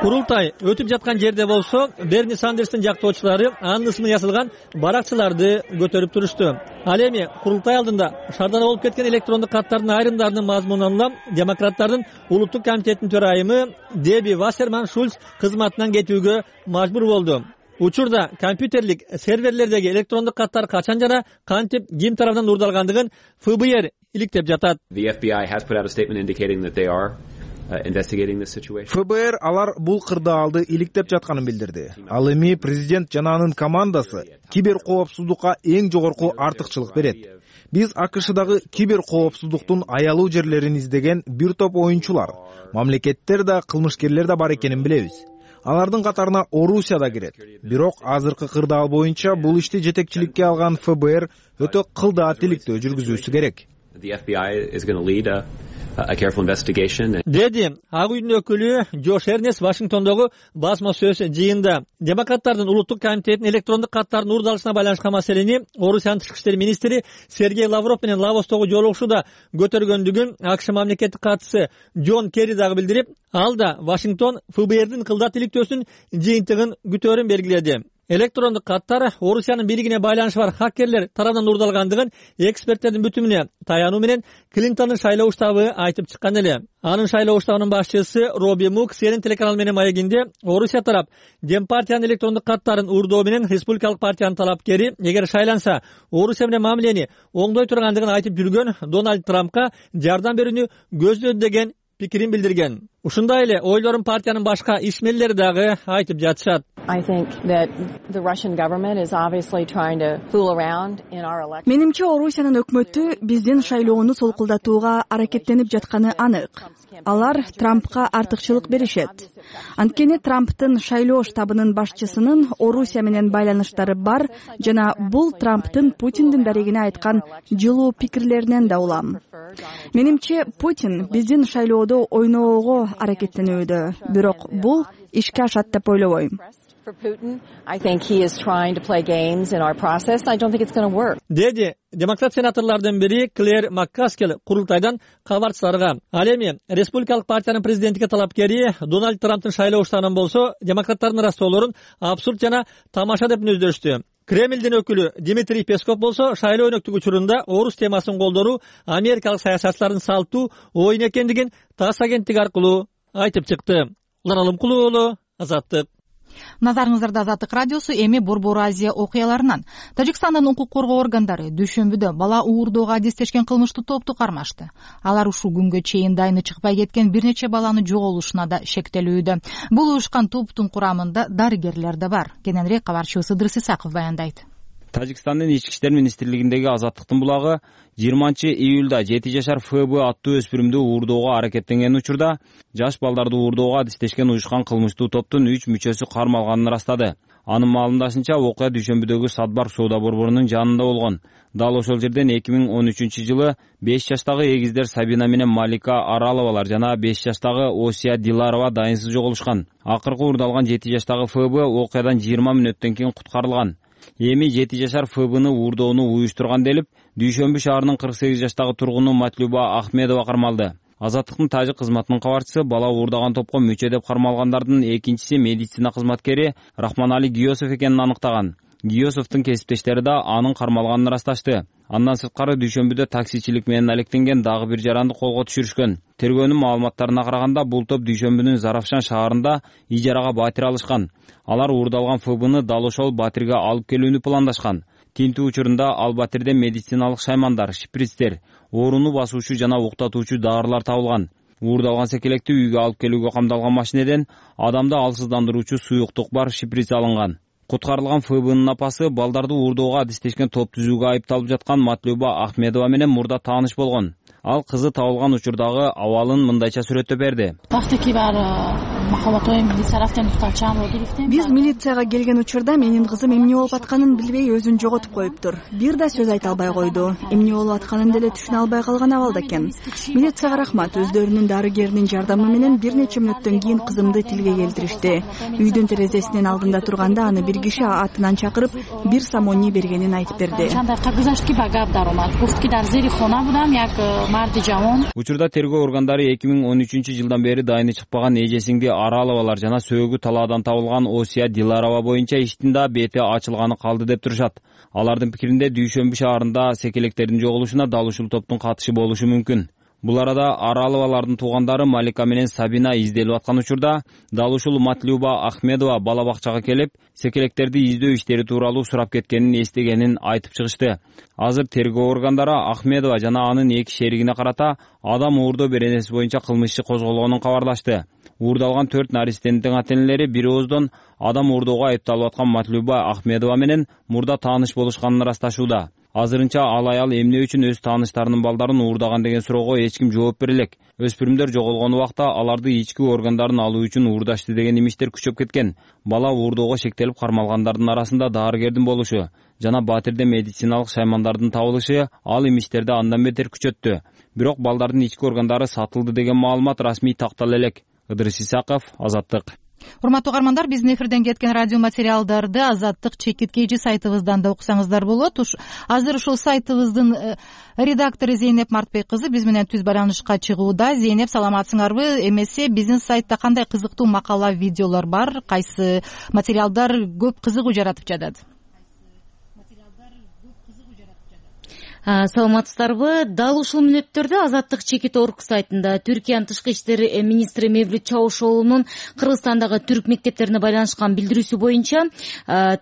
Курултай өтүп жаткан жерде болсо, Берни Сандерстин жактоочулары анын ысымы ясалган баракчыларды көтөрүп турушту. Ал эми курултай алдында шаардан болуп кеткен электрондук каттардын айрымдарынын мазмунун улам демократтардын улуттук комитетинин төрайымы Деби Вассерман Шульц кызматынан кетүүгө мажбур болду. Учурда компьютерлик серверлердеги электрондук каттар качан жана кантип ким тарабынан уурдалгандыгын эф бэ эр иликтеп жатат. эф бэ эр алар бул кырдаалды иликтеп жатканын билдирди. Ал эми президент жана анын командасы кибер коопсуздукка эң жогорку артыкчылык берет. Биз а ка шдагы кибер коопсуздуктун аялуу жерлерин издеген бир топ оюнчулар, мамлекеттер да, кылмышкерлер да бар экенин билебиз. Алардын катарына Орусия да кирет. Бирок азыркы кырдаал боюнча бул ишти жетекчиликке алган эф бэ эр өтө кылдаа тиликтөө жүргүзүүсү керек. Деди Ак үйдүн өкүлү Джош Эрнест Вашингтондогу басма сөз жыйында. Демократтардын улуттук комитетинин электрондук каттардын уурдалышына байланышкан маселени Орусиянын тышкы иштер министри Сергей Лавров менен Лавостогу жолугушууда көтөргөндүгүн а ка ш мамлекеттик катчысы Джон Керри дагы билдирип, ал да Вашингтон эф бэ эрдин кылдаа тиликтөөсүнүн жыйынтыгын күтөөрүн белгиледи. Электрондук каттар Орусиянын бийлигине байланышы бар хакерлер тарабынан уурдалгандыгын эксперттердин бүтүмүнө таянуу менен Клинтондун шайлоо штабы айтып чыккан эле. Анын шайлоо штабынын башчысы Роби Мук Си Эн Эн телеканалы менен маегинде Орусия тарап Демпартиянын электрондук каттарын уурдоо менен Республикалык партиянын талапкери эгер шайланса Орусия менен мамилени оңдой тургандыгын айтып жүргөн Дональд Трампка жардам берүүнү көздөдү деген пикирин билдирген. Ушундай эле ойлорун партиянын башка ишмерлери дагы айтып жатышат. Менимче Орусиянын өкмөтү биздин шайлоону солкулдатууга аракеттенип жатканы анык. Алар Трампка артыкчылык беришет. Анткени Трамптын шайлоо штабынын башчысынын Орусия менен байланыштары бар жана бул Трамптын Путиндин дарегине айткан жылуу пикирлеринен да улам. Менимче Путин биздин шайлоодо ойноого аракеттенүүдө, бирок бул ишке ашат деп ойлобойм. Деди демократ сенаторлордун бири Клэр Маккаскел курултайдан кабарчыларга. Ал эми Республикалык партиянын президенттикке талапкери Дональд Трамптын шайлоо штабынан болсо демократтардын ырастоолорун абсурд жана тамаша деп мүнөздөштү. Кремлдин өкүлү Дмитрий Песков болсо шайлоо өнөктүк учурунда орус темасын колдоруу америкалык саясатчылардын салттуу оюн экендигин ТАСС агенттиги аркылуу айтып чыкты. Улан Алымкулуу уулу, Азаттык. Назарыңыздарда Азаттык радиосу. Эми Борбор Азия окуяларынан. Тажикстандын укук коргоо органдары дүйшөмбүдө бала уурдоого адистешкен кылмыштуу топту кармашты. Алар ушул күнгө чейин дайыны чыкпай кеткен бир нече баланы жоголушуна да шектелүүдө. Бул уюшкан топтун курамында дарыгерлер да бар. Кененирээк кабарчыбыз Ыдырыс Исаков баяндайт. Тажикстандын ички иштер министрлигиндеги Азаттыктын булагы жыйырманчы июлда жети жашар Ф Б аттуу өспүрүмдү уурдоого аракеттенген учурда жаш балдарды уурдоого адистешкен уюшкан кылмыштуу топтун үч мүчөсү кармалганын ырастады. Анын маалымдашынча окуя дүйшөмбүдөгү Садбар соода борборунун жанында болгон. Дал ошол жерден эки миң он үчүнчү жылы беш жаштагы эгиздер Сабина менен Малика Араловалар жана беш жаштагы Осия Диларова дайынсыз жоголушкан. Акыркы уурдалган жети жаштагы Ф Б окуядан жыйырма мүнөттөн кийин куткарылган. Эми жети жашар Ф Бны уурдоону уюштурган делип, Дүйшөмбү шаарынын кырк сегиз жаштагы тургуну Матлюба Ахмедова кармалды. Азаттыктын тажик кызматынын кабарчысы бала уурдаган топко мүчө деп кармалгандардын экинчиси медицина кызматкери Рахманали Гиосов экенин аныктаган. Гиосовдун кесиптештери да анын кармалганын ырасташты. Андан сырткары Дүйшөмбүдө таксичилик менен алектенген дагы бир жаранды колго түшүрүшкөн. Тергөөнүн маалыматтарына караганда бул топ Дүйшөмбүнүн Заравшан шаарында ижарага батир алышкан. Алар уурдалган Ф Бны дал ошол батирге алып келүүнү пландашкан. Тинтүү учурунда ал батирден медициналык шаймандар, шприцтер, ооруну басуучу жана уктатуучу дарылар табылган. Уурдалган секелекти үйгө алып келүүгө камдалган машинеден адамды алсыздандыруучу суюктук бар шприц алынган. Куткарылган ФБнын апасы балдарды уурдоого адистешкен топ түзүүгө айыпталып жаткан Матлюба Ахмедова менен мурда тааныш болгон. Ал кызы табылган учурдагы абалын мындайча сүрөттөп берди. Биз милицияга келген учурда менин кызым эмне болуп атканын билбей өзүн жоготуп коюптур. Бир да сөз айта албай койду. Эмне болуп атканын деле түшүнө албай калган абалда экен. Милицияга рахмат, өздөрүнүн дарыгеринин жардамы менен бир нече мүнөттөн кийин кызымды тилге келтиришти. Үйдүн терезесинин алдында турганда аны бир киши атынан чакырып, бир самони бергенин айтып берди. Учурда тергөө органдары эки миң он үчүнчү жылдан бери дайыны чыкпаган эжесиңди Араловалар жана сөөгү талаадан табылган Осия Диларова боюнча иштин да бети ачылганы калды деп турушат. Алардын пикиринде Дүйшөмбү шаарында секелектердин жоголушуна дал ушул топтун катышы болушу мүмкүн. Бул арада Араловалардын туугандары Малика менен Сабина изделип аткан учурда дал ушул Матлюба Ахмедова бала бакчага келип, секелектерди издөө иштери тууралуу сурап кеткенин эстегенин айтып чыгышты. Азыр тергөө органдары Ахмедова жана анын эки шеригине карата адам уурдоо беренеси боюнча кылмыш иши козголгонун кабарлашты. Уурдалган төрт наристенин ата-энелери бир ооздон адам уурдоого айыпталып аткан Матлюба Ахмедова менен мурда тааныш болушканын ырасташууда. Азырынча ал аял эмне үчүн өз тааныштарынын балдарын уурдаган деген суроого эч ким жооп бере элек. Өспүрүмдөр жоголгон убакта аларды ички органдарын алуу үчүн уурдашты деген имиштер күчөп кеткен. Бала уурдоого шектелип кармалгандардын арасында дарыгердин болушу жана батирде медициналык шаймандардын табылышы ал имиштерди андан бетер күчөттү. Бирок балдардын ички органдары сатылды деген маалымат расмий тактала элек. Ыдырыс Исаков, Азаттык. Урматтуу угармандар, биздин эфирден кеткен радио материалдарды Азаттык чекит kg сайтыбыздан да окусаңыздар болот. Азыр ушул сайтыбыздын редактору Зейнеп Мартбек кызы биз менен түз байланышка чыгууда. Зейнеп, саламатсыңарбы? Эмесе биздин сайтта кандай кызыктуу макала, видеолор бар? Кайсы материалдар көп кызыгуу жаратып жатат? Саламатсыздарбы? Дал ушул мүнөттөрдө Азаттык чекит орг сайтында Түркиянын тышкы иштер министри Мевлют Чавушоğlu'нун Кыргызстандагы түрк мектептерине байланышкан билдирүүсү боюнча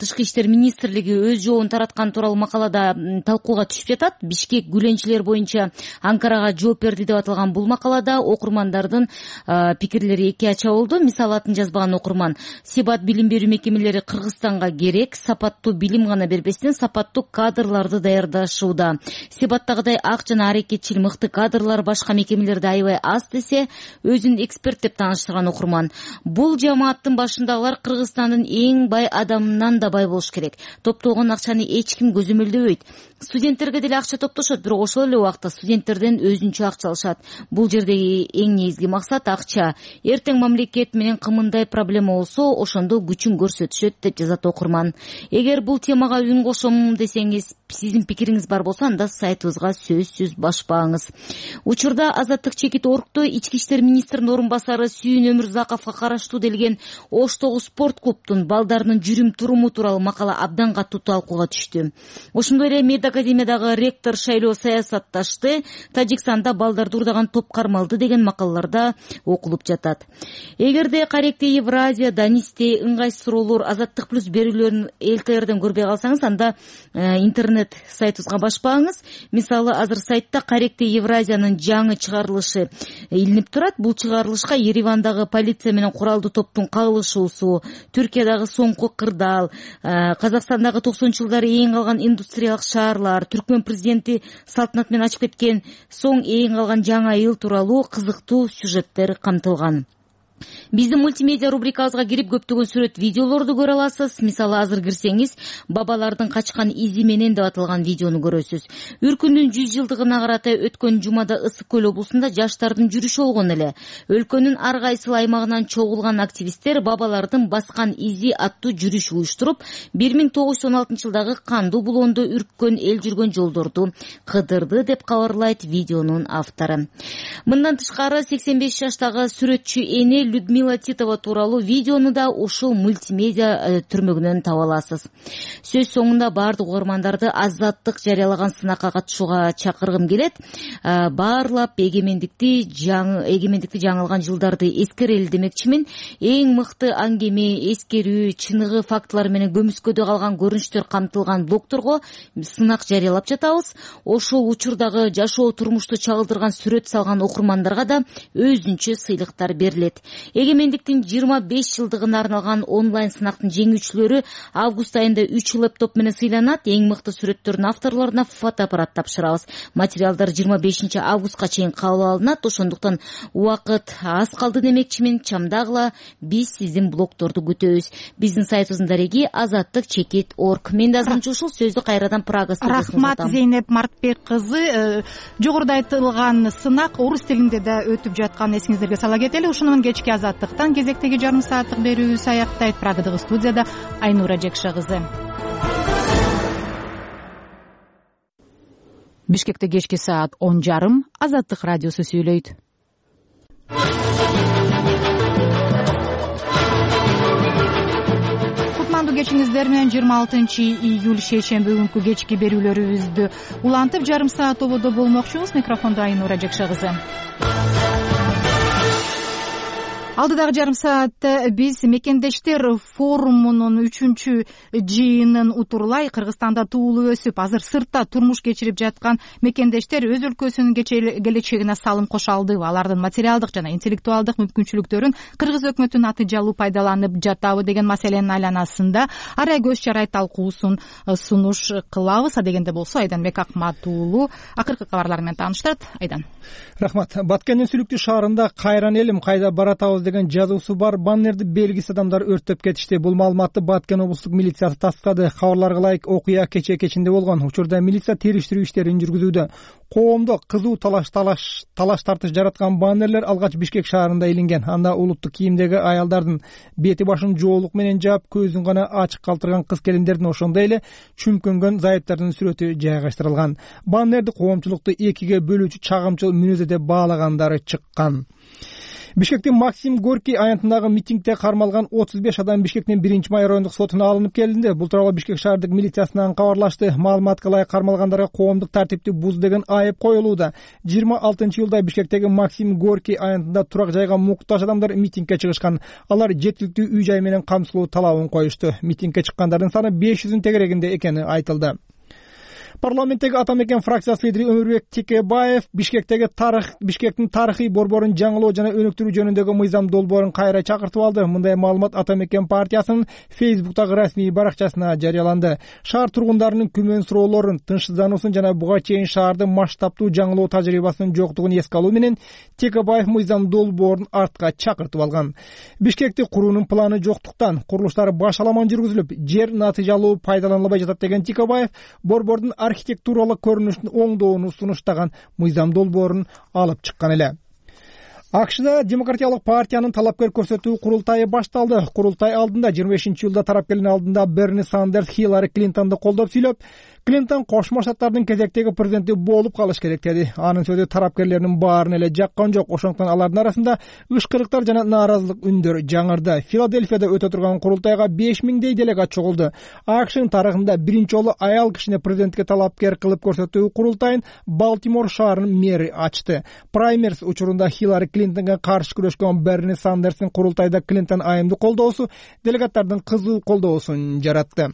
тышкы иштер министрлиги өз жообун тараткан тууралуу макалада талкууга түшүп жатат. Бишкек гүленчилер боюнча Анкарага жооп берди деп аталган бул макалада окурмандардын пикирлери эки ача болду. Мисалы, атын жазбаган окурман: Себат билим берүү мекемелери Кыргызстанга керек, сапаттуу билим гана бербестен сапаттуу кадрларды даярдашууда. Себаттагыдай ак жана аракетчил мыкты кадрлар башка мекемелерде аябай аз десе, өзүн эксперт деп тааныштырган окурман. Бул жамааттын башындагылар Кыргызстандын эң бай адамынан да бай болуш керек. Топтолгон акчаны эч ким көзөмөлдөбөйт. Студенттерге деле акча топтошот, бирок ошол эле убакта студенттерден өзүнчө акча алышат. Бул жердеги эң негизги максат акча. Эртең мамлекет менен кымындай проблема болсо, ошондо күчүн көрсөтүшөт деп жазат окурман. Эгер бул темага үн кошом десеңиз, сиздин пикириңиз бар болсо, анда сайтыбызга сөзсүз башпаңыз. Учурда Азаттык чекит оргдо ички иштер министринин орун басары Сүйүн Өмүрзаковго караштуу делген Оштогу спорт клубтун балдарынын жүрүм туруму тууралуу макала абдан катуу талкууга түштү. Ошондой эле Мед академиядагы ректор шайлоо саясатташты, Тажикстанда балдарды уурдаган топ кармалды деген макалаларда окулуп жатат. Эгерде Каректе Евразия, Данисте ыңгайсыз суроолор, Азаттык плюс берүүлөрүн ЛТРден көрбөй калсаңыз, анда интернет сайтыбызга башпаңыз. Мисалы, азыр сайтта Каректе Евразиянын жаңы чыгарылышы илинип турат. Бул чыгарылышка Еревандагы полиция менен куралдуу топтун кагылышуусу, Түркиядагы соңку кырдаал, Казакстандагы токсонунчу жылдары эң калган индустриялык шаарлар, Түркмөн президенти салтанат менен ачып кеткен соң эң калган жаңы эл тууралуу кызыктуу сюжеттер камтылган. Биздин мультимедиа рубрикабызга кирип көптөгөн сүрөт, видеолорду көрө аласыз. Мисалы, азыр кирсеңиз, бабалардын качкан изи менен деп аталган видеону көрөсүз. Үркүндүн жүз жылдыгына карата өткөн жумада Ысык көл облусунда жаштардын жүрүшү болгон эле. Өлкөнүн ар кайсыл аймагынан чогулган активисттер бабалардын баскан изи аттуу жүрүш уюштуруп, бир миң тогуз жүз он алтынчы жылдагы кандуу булоондо үрккөн эл жүргөн жолдорду кыдырды деп кабарлайт видеонун автору. Мындан тышкары сексен беш жаштагы сүрөтчү Энел Людмила Титова тууралуу видеону да ушул мультимедиа түрмөгүнөн таба аласыз. Сөз соңунда баардык угармандарды Азаттык жарыялаган сынакка катышууга чакыргым келет. Баарлап эгемендикти эгемендикти жаңылган жылдарды эскерели демекчимин. Эң мыкты аңгеме, эскерүү, чыныгы фактылар менен көмүскөдө калган көрүнүштөр камтылган блогторго сынак жарыялап жатабыз. Ошол учурдагы жашоо турмушту чагылдырган сүрөт салган окурмандарга да өзүнчө сыйлыктар берилет. Эгемендиктин жыйырма беш жылдыгына арналган онлайн сынактын жеңүүчүлөрү август айында үч лэптоп менен сыйланат. Эң мыкты сүрөттөрдүн авторлоруна фотоаппарат тапшырабыз. Материалдар жыйырма бешинчи августка чейин кабыл алынат. Ошондуктан убакыт аз калды демекчимин. Чамдагыла, биз сиздин блогторду күтөбүз. Биздин сайтыбыздын дареги азаттык чекит точка орг. Мен да азырынча ушул сөздү кайрадан Прага студиясына Рахмат Зейнеп Мартбек кызы. Жогоруда айтылган сынак орус тилинде да өтүп жаткан эсиңиздерге сала кетели. Ушуну менен кечки азаттыктан кезектеги жарым сааттык берүүбүз аяктайт. Прагадагы студияда Айнура Жекше кызы. Бишкекте кечки саат он жарым Азаттык радиосу сүйлөйт. Кутмандуу кечиңиздер менен жыйырма алтынчы июль шейшемби күнкү кечки берүүлөрүбүздү улантып жарым саат тободо болмокчубуз. Микрофондо Айнура Жекше кызы. Алдыдагы жарым саатта биз мекендештер форумунун үчүнчү жыйынын утурлай Кыргызстанда туулуп өсүп, азыр сыртта турмуш кечирип жаткан мекендештер өз өлкөсүнүн келечегине салым кошо алдыбы, алардын материалдык жана интеллектуалдык мүмкүнчүлүктөрүн Кыргыз өкмөтүнүн натыйжалуу пайдаланып жатабы деген маселенин айланасында арай көз чарай талкуусун сунуш кылабыз. Адегенде болсо Айданбек Акмат уулу акыркы кабарлар менен тааныштырат. Айдан. Рахмат. Баткендин Сүлүктүү шаарында кайран элим кайда баратабыз деген жазуусу бар баннерди белгисиз адамдар өрттөп кетишти. Бул маалыматты Баткен облустук милициясы тастыктады. Кабарларга ылайык окуя кечээ кечинде болгон. Учурда милиция териштирүү иштерин жүргүзүүдө. Коомдо кызуу талаш талаш талаш тартыш жараткан баннерлер алгач Бишкек шаарында илинген. Анда улуттук кийимдеги аялдардын бети башын жоолук менен жаап, көзүн гана ачык калтырган кыз келиндердин, ошондой эле чүмкөнгөн зайыптардын сүрөтү жайгаштырылган. Баннерди коомчулукту экиге бөлүүчү чагымчыл мүнөзү деп баалагандары чыккан. Бишкектин Максим Горький аянтындагы митингде кармалган отуз беш адам Бишкектин биринчи май райондук сотуна алынып келинди. Бул тууралуу Бишкек шаардык милициясынан кабарлашты. Маалыматка ылайык кармалгандарга коомдук тартипти буз деген айып коюлууда. жыйырма алтынчы июлда Бишкектеги Максим Горький аянтында турак жайга муктаж адамдар митингге чыгышкан. Алар жеткиликтүү үй жай менен камсылоо талабын коюшту. Митингге чыккандардын саны беш жүздүн тегерегинде экени айтылды. Парламенттеги Ата Мекен фракциясы лидери Өмүрбек Текебаев Бишкектеги тарых Бишкектин тарыхый борборун жаңылоо жана өнүктүрүү жөнүндөгү мыйзам долбоорун кайра чакыртып алды. Мындай маалымат Ата Мекен партиясынын Фейсбуктагы расмий баракчасына жарыяланды. Шаар тургундарынын күмөн суроолорун, тынчсыздануусун жана буга чейин шаарды масштабтуу жаңылоо тажрыйбасынын жоктугун эске алуу менен Текебаев мыйзам долбоорун артка чакыртып алган. Бишкекти куруунун планы жоктуктан курулуштар башаламан жүргүзүлүп, жер натыйжалуу пайдаланылбай жатат деген Текебаев борбордун архитектуралык көрүнүшүн оңдоону сунуштаган мыйзам долбоорун алып чыккан эле. АКШда Демократиялык партиянын талапкер көрсөтүү курултайы башталды. Курултай алдында жыйырма бешинчи июлда тарапкерлин алдында Берни Сандерс Хиллари Клинтонду колдоп сүйлөп, Клинтон Кошмо Штаттардын кезектеги президенти болуп калыш керек деди. Анын сөзү тарапкерлердин баарын эле жаккан жок. Ошондуктан алардын арасында ышкырыктар жана нааразылык үндөр жаңырды. Филадельфияда өтө турган курултайга беш миңдей делегат чогулду. АКШнын тарыхында биринчи жолу аял кишини президентке талапкер кылып көрсөтүү курултайын Балтимор шаарынын мэри ачты. Праймерс учурунда Хиллари Клинтонго каршы күрөшкөн Берни Сандерстин курултайда Клинтон айымды колдоосу делегаттардын кызуу колдоосун жаратты.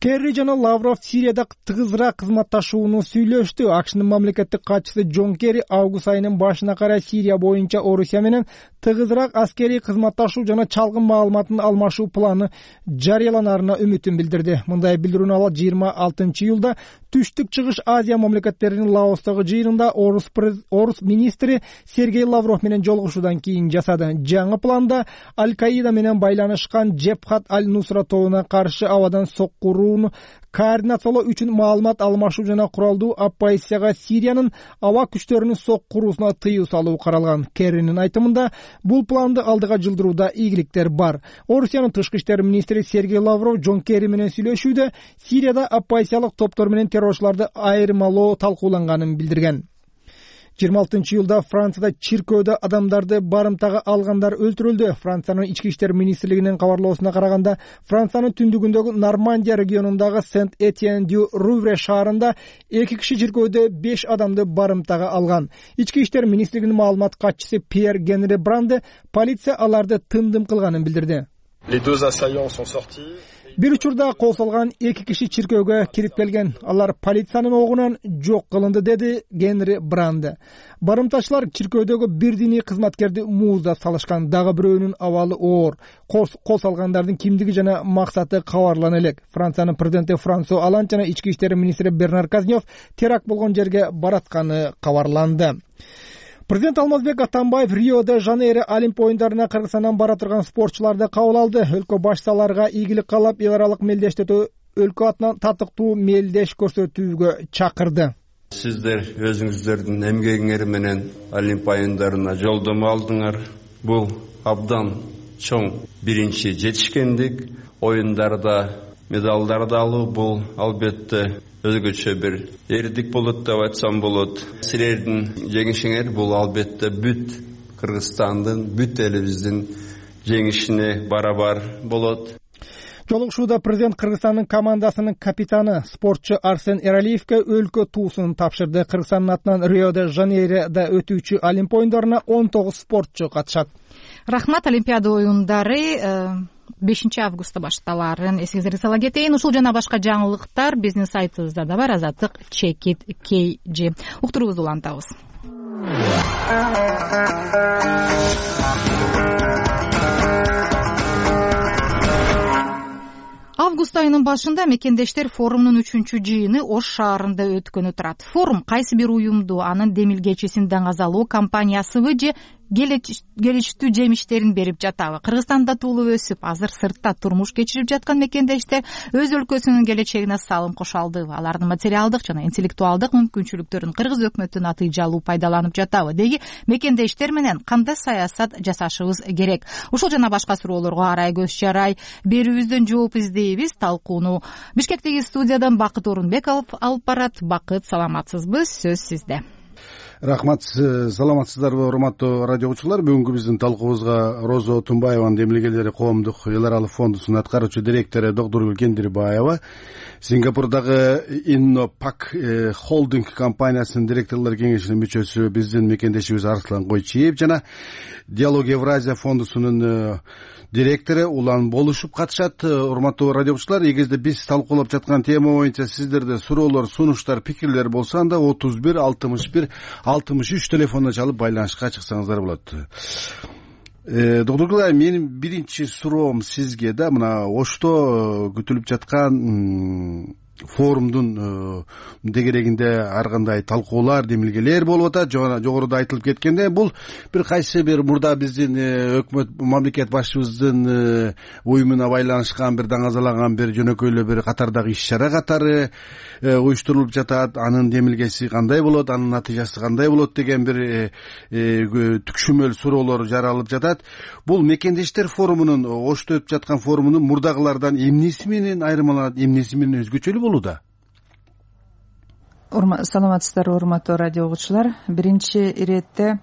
Керри жана Лавров Сирияда тыгызыраак кызматташууну сүйлөштү. АКШнын мамлекеттик катчысы Джон Керри август айынын башына карай Сирия боюнча Орусия менен тыгызыраак аскерий кызматташуу жана чалгын маалыматын алмашуу планы жарыяланарына үмүтүн билдирди. Мындай билдирүүнү ал жыйырма алтынчы июлда Түштүк Чыгыш Азия мамлекеттеринин Лаостогу жыйынында Орус Орус министри Сергей Лавров менен жолугушуудан кийин жасады. Жаңы планда Аль-Каида менен байланышкан Джебхат аль-Нусра тобуна каршы абадан соккурууну координациялоо үчүн маалымат алмашуу жана куралдуу оппозицияга Сириянын аба күчтөрүнүн соккуруусуна тыюу салуу каралган. Керринин айтымында бул планды алдыга жылдырууда ийгиликтер бар. Орусиянын тышкы иштер министри Сергей Лавров Джон Керри менен сүйлөшүүдө Сирияда оппозициялык топтор менен террорчуларды айырмалоо талкууланганын билдирген. жыйырма алтынчы июлда Францияда чиркөөдө адамдарды барымтага алгандар өлтүрүлдү. Франциянын ички иштер министрлигинин кабарлоосуна караганда, Франциянын түндүгүндөгү Нормандия регионундагы Сент-Этьен-дю-Рувре шаарында эки киши чиркөөдө беш адамды барымтага алган. Ички иштер министрлигинин маалымат катчысы Пьер Генри Бранде полиция аларды тындым кылганын билдирди. Бир учурда кол салган эки киши чиркөөгө кирип келген. Алар полициянын огунан жок кылынды, деди Генри Бранде. Барымтачылар чиркөөдөгү бир диний кызматкерди мууздап салышкан. Дагы бирөөнүн абалы оор. Кол салгандардын кимдиги жана максаты кабарлана элек. Франциянын президенти Франсуа Олланд жана ички иштер министри Бернар Казнев теракт болгон жерге баратканы кабарланды. Президент Алмазбек Атамбаев Рио-де-Жанейро Олимп оюндарына Кыргызстандан бара турган спортчуларды кабыл алды. Өлкө башчыларга ийгилик каалап, эл аралык мелдештетүү өлкө атынан татыктуу мелдеш көрсөтүүгө чакырды. Сиздер өзүңүздөрдүн эмгегиңер менен Олимп оюндарына жолдомо алдыңар. Бул абдан чоң биринчи жетишкендик. Оюндарда медалдарды алуу бул албетте өзгөчө бир эрдик болот деп айтсам болот. Силердин жеңишиңер бул албетте бүт Кыргызстандын, бүт элибиздин жеңишине барабар болот. Жолугушууда президент Кыргызстандын командасынын капитаны спортчу Арсен Эралиевке өлкө туусун тапшырды. Кыргызстандын атынан Рио-де-Жанейрода өтүүчү Олимп оюндарына он тогуз спортчу катышат. Рахмат. Олимпиада оюндары бешинчи августта башталарын эсиңизге сала кетейин. Ушул жана башка жаңылыктар биздин сайтыбызда да бар. Азаттык чекит kg. Уктуруубузду улантабыз. Август айынын башында мекендештер форумунун үчүнчү жыйыны Ош шаарында өткөнү турат. Форум кайсы бир уюмду, анын демилгечисин даңазалоо компаниясыбы же келечтүү жемиштерин берип жатабы? Кыргызстанда туулуп өсүп, азыр сыртта турмуш кечирип жаткан мекендештер өз өлкөсүнүн келечегине салым кошо алдыбы? Алардын материалдык жана интеллектуалдык мүмкүнчүлүктөрүн кыргыз өкмөтү натыйжалуу пайдаланып жатабы? Деги мекендештер менен кандай саясат жасашыбыз керек? Ушул жана башка суроолорго арай көз жарай берүүбүздөн жооп издейбиз. Талкууну Бишкектеги студиядан Бакыт Орунбеков алып барат. Бакыт, саламатсызбы? Сөз сизде. Рахмат, саламатсыздарбы урматтуу радио угуучулар. Бүгүнкү биздин талкуубузга Роза Отунбаеванын демилгелери коомдук эл аралык фондусунун аткаруучу директору Докторгүл Кендирбаева, Сингапурдагы Иннопак холдинг компаниясынын директорлор кеңешинин мүчөсү биздин мекендешибиз Арслан Койчиев жана Диалог Евразия фондусунун директору Улан Болушуп катышат. Урматтуу радио угуучулар, эгерде биз талкуулап жаткан тема боюнча сиздерде суроолор, сунуштар, пикирлер болсо, анда отуз бир алтымыш бир алтымыш үч телефонуна чалып байланышка чыксаңыздар болот. Доктор, менин биринчи суроом сизге да мына Ошто күтүлүп жаткан форумдун дегерегинде ар кандай талкуулар, демилгелер болуп атат. Жогоруда айтылып кеткенде, бул бир кайсы бир мурда биздин өкмөт мамлекет башчыбыздын уюмуна байланышкан, бир даңазалаган, бир жөнөкөйлүү бир катардагы иш чара катары уюштурулуп жатат. Анын демилгеси кандай болот, анын натыйжасы кандай болот деген бир түкшүмөл суроолор жаралып жатат. Бул мекендештер форумунун, Ошто өтүп жаткан форумунун мурдагылардан эмнеси менен айырмаланат, эмнеси менен өзгөчөлүү болот? Саламатсыздарбы урматтуу радио угуучулар. Биринчи иретте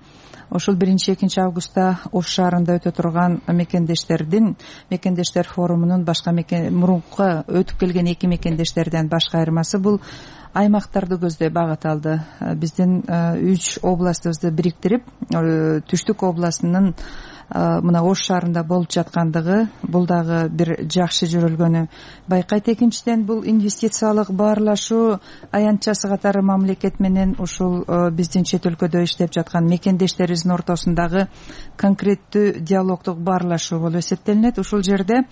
ошол биринчи экинчи августта Ош шаарында өтө турган мекендештердин мекендештер форумунун башка мурунку өтүп келген эки мекендештерден башка айырмасы бул аймактарды көздөй багыт алды. Биздин үч областыбызды бириктирип, Түштүк областынын мына Ош шаарында болуп жаткандыгы, бул дагы бир жакшы жүрүлгөнү байкайт. Экинчиден, бул инвестициялык баарлашуу аянтчасы катары мамлекет менен ушул биздин чет өлкөдө иштеп жаткан мекендештерибиздин ортосундагы конкреттүү диалогдук баарлашуу болуп эсептелинет. Ушул жерде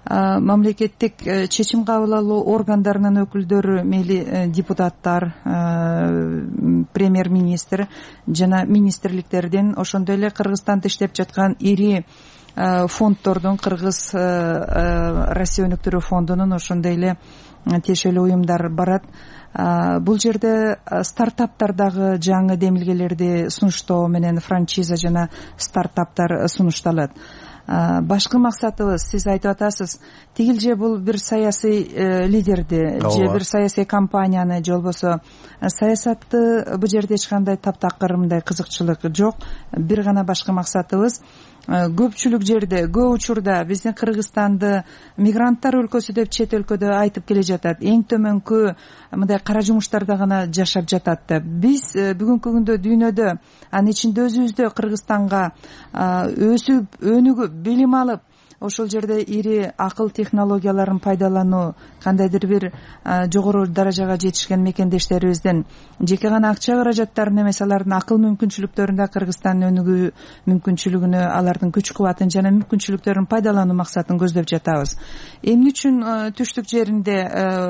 мамлекеттик чечим кабыл алуу органдарынын өкүлдөрү, мейли депутаттар, премьер-министр жана министрликтердин, ошондой эле Кыргызстанда иштеп жаткан ири фонддордун, Кыргыз Россия өнүктүрүү фондунун ошондой эле тиешелүү уюмдар барат. Бул жерде стартаптардагы жаңы демилгелерди сунуштоо менен франчиза жана стартаптар сунушталат. башкы максатыбыз сиз айтып атасыз, тигил же бул бир саясий лидерди же бир саясий компанияны же болбосо саясатты бул жерде эч кандай таптакыр мындай кызыкчылык жок. Бир гана башкы максатыбыз көпчүлүк жерде, көп учурда биздин Кыргызстанды мигранттар өлкөсү деп чет өлкөдө айтып келе жатат. Эң төмөнкү мындай кара жумуштарда гана жашап жатат деп. Биз бүгүнкү күндө дүйнөдө, анын ичинде өзүбүздө Кыргызстанга өсүп, өнүгүп, билим алып, ошол жерде ири акыл технологияларын пайдалануу, кандайдыр бир жогору даражага жетишкен мекендештерибиздин жеке гана акча каражаттарын эмес, алардын акыл мүмкүнчүлүктөрүн да Кыргызстандын өнүгүү мүмкүнчүлүгүнө, алардын күч кубатын жана мүмкүнчүлүктөрүн пайдалануу максатын көздөп жатабыз. Эмне үчүн түштүк жеринде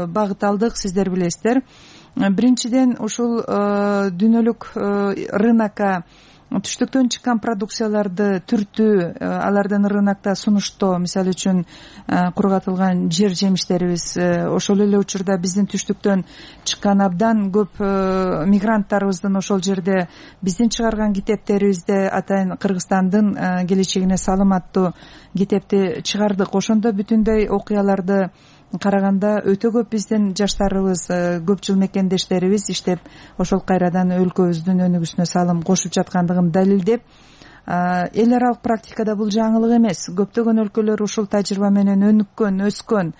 багыт алдык, сиздер билесиздер. Биринчиден, ушул дүйнөлүк рынокко түштүктөн чыккан продукцияларды түртүү, алардын рынокто сунуштоо, мисалы үчүн кургатылган жер жемиштерибиз, ошол эле учурда биздин түштүктөн чыккан абдан көп мигранттарыбыздын ошол жерде биздин чыгарган китептерибизде атайын Кыргызстандын келечегине саламаттуу китепти чыгардык. Ошондо бүтүндөй окуяларды караганда өтө көп биздин жаштарыбыз, көп жыл мекендештерибиз иштеп ошол кайрадан өлкөбүздүн өнүгүүсүнө салым кошуп жаткандыгын далилдеп, эл аралык практикада бул жаңылык эмес. Көптөгөн өлкөлөр ушул тажрыйба менен өнүккөн, өскөн.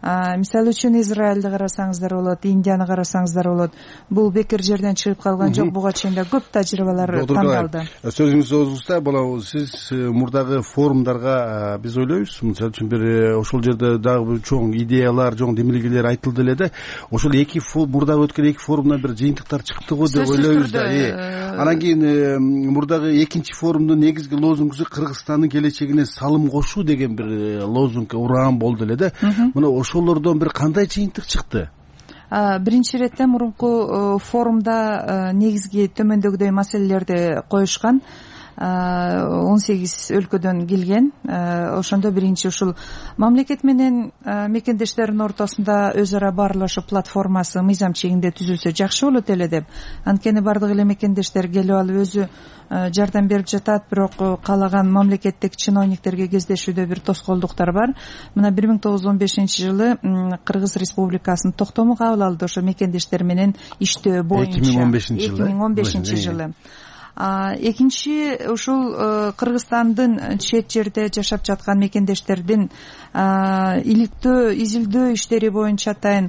Мисалы үчүн Израилди карасаңыздар болот, Индияны карасаңыздар болот. Бул бекер жерден чыгып калган жок, буга чейин да көп тажрыйбалар тандалды. Сөзүңүздү озгузда, бала сиз мурдагы форумдарга биз ойлойбуз, мисалы үчүн бир ошол жерде дагы чоң идеялар, чоң демилгелер айтылды эле да, ошол эки мурдагы өткөн эки форумдан бир жыйынтыктар чыкты го деп ойлойбуз да. Анан кийин мурдагы экинчи форумдун негизги лозунгусу Кыргызстандын келечегине салым кошуу деген бир лозунг, ураан болду эле да. Мына ошолордон бир кандай жыйынтык чыкты? Биринчи иретте мурунку форумда негизги төмөндөгүдөй маселелерди коюшкан. он сегиз өлкөдөн келген. Ошондо биринчи ушул мамлекет менен мекендештердин ортосунда өз ара баарлашуу платформасы мыйзам чегинде түзүлсө жакшы болот эле деп. Анткени бардык эле мекендештер келип алып өзү жардам берип жатат, бирок каалаган мамлекеттик чиновниктерге кездешүүдө бир тоскоолдуктар бар. Мына бир миң тогуз жүз он бешинчи жылы Кыргыз Республикасынын токтому кабыл алды ошо мекендештер менен иштөө боюнча. эки миң он бешинчи жылы. Экинчи, ушул Кыргызстандын чет жерде жашап жаткан мекендештердин иликтөө, изилдөө иштери боюнча атайын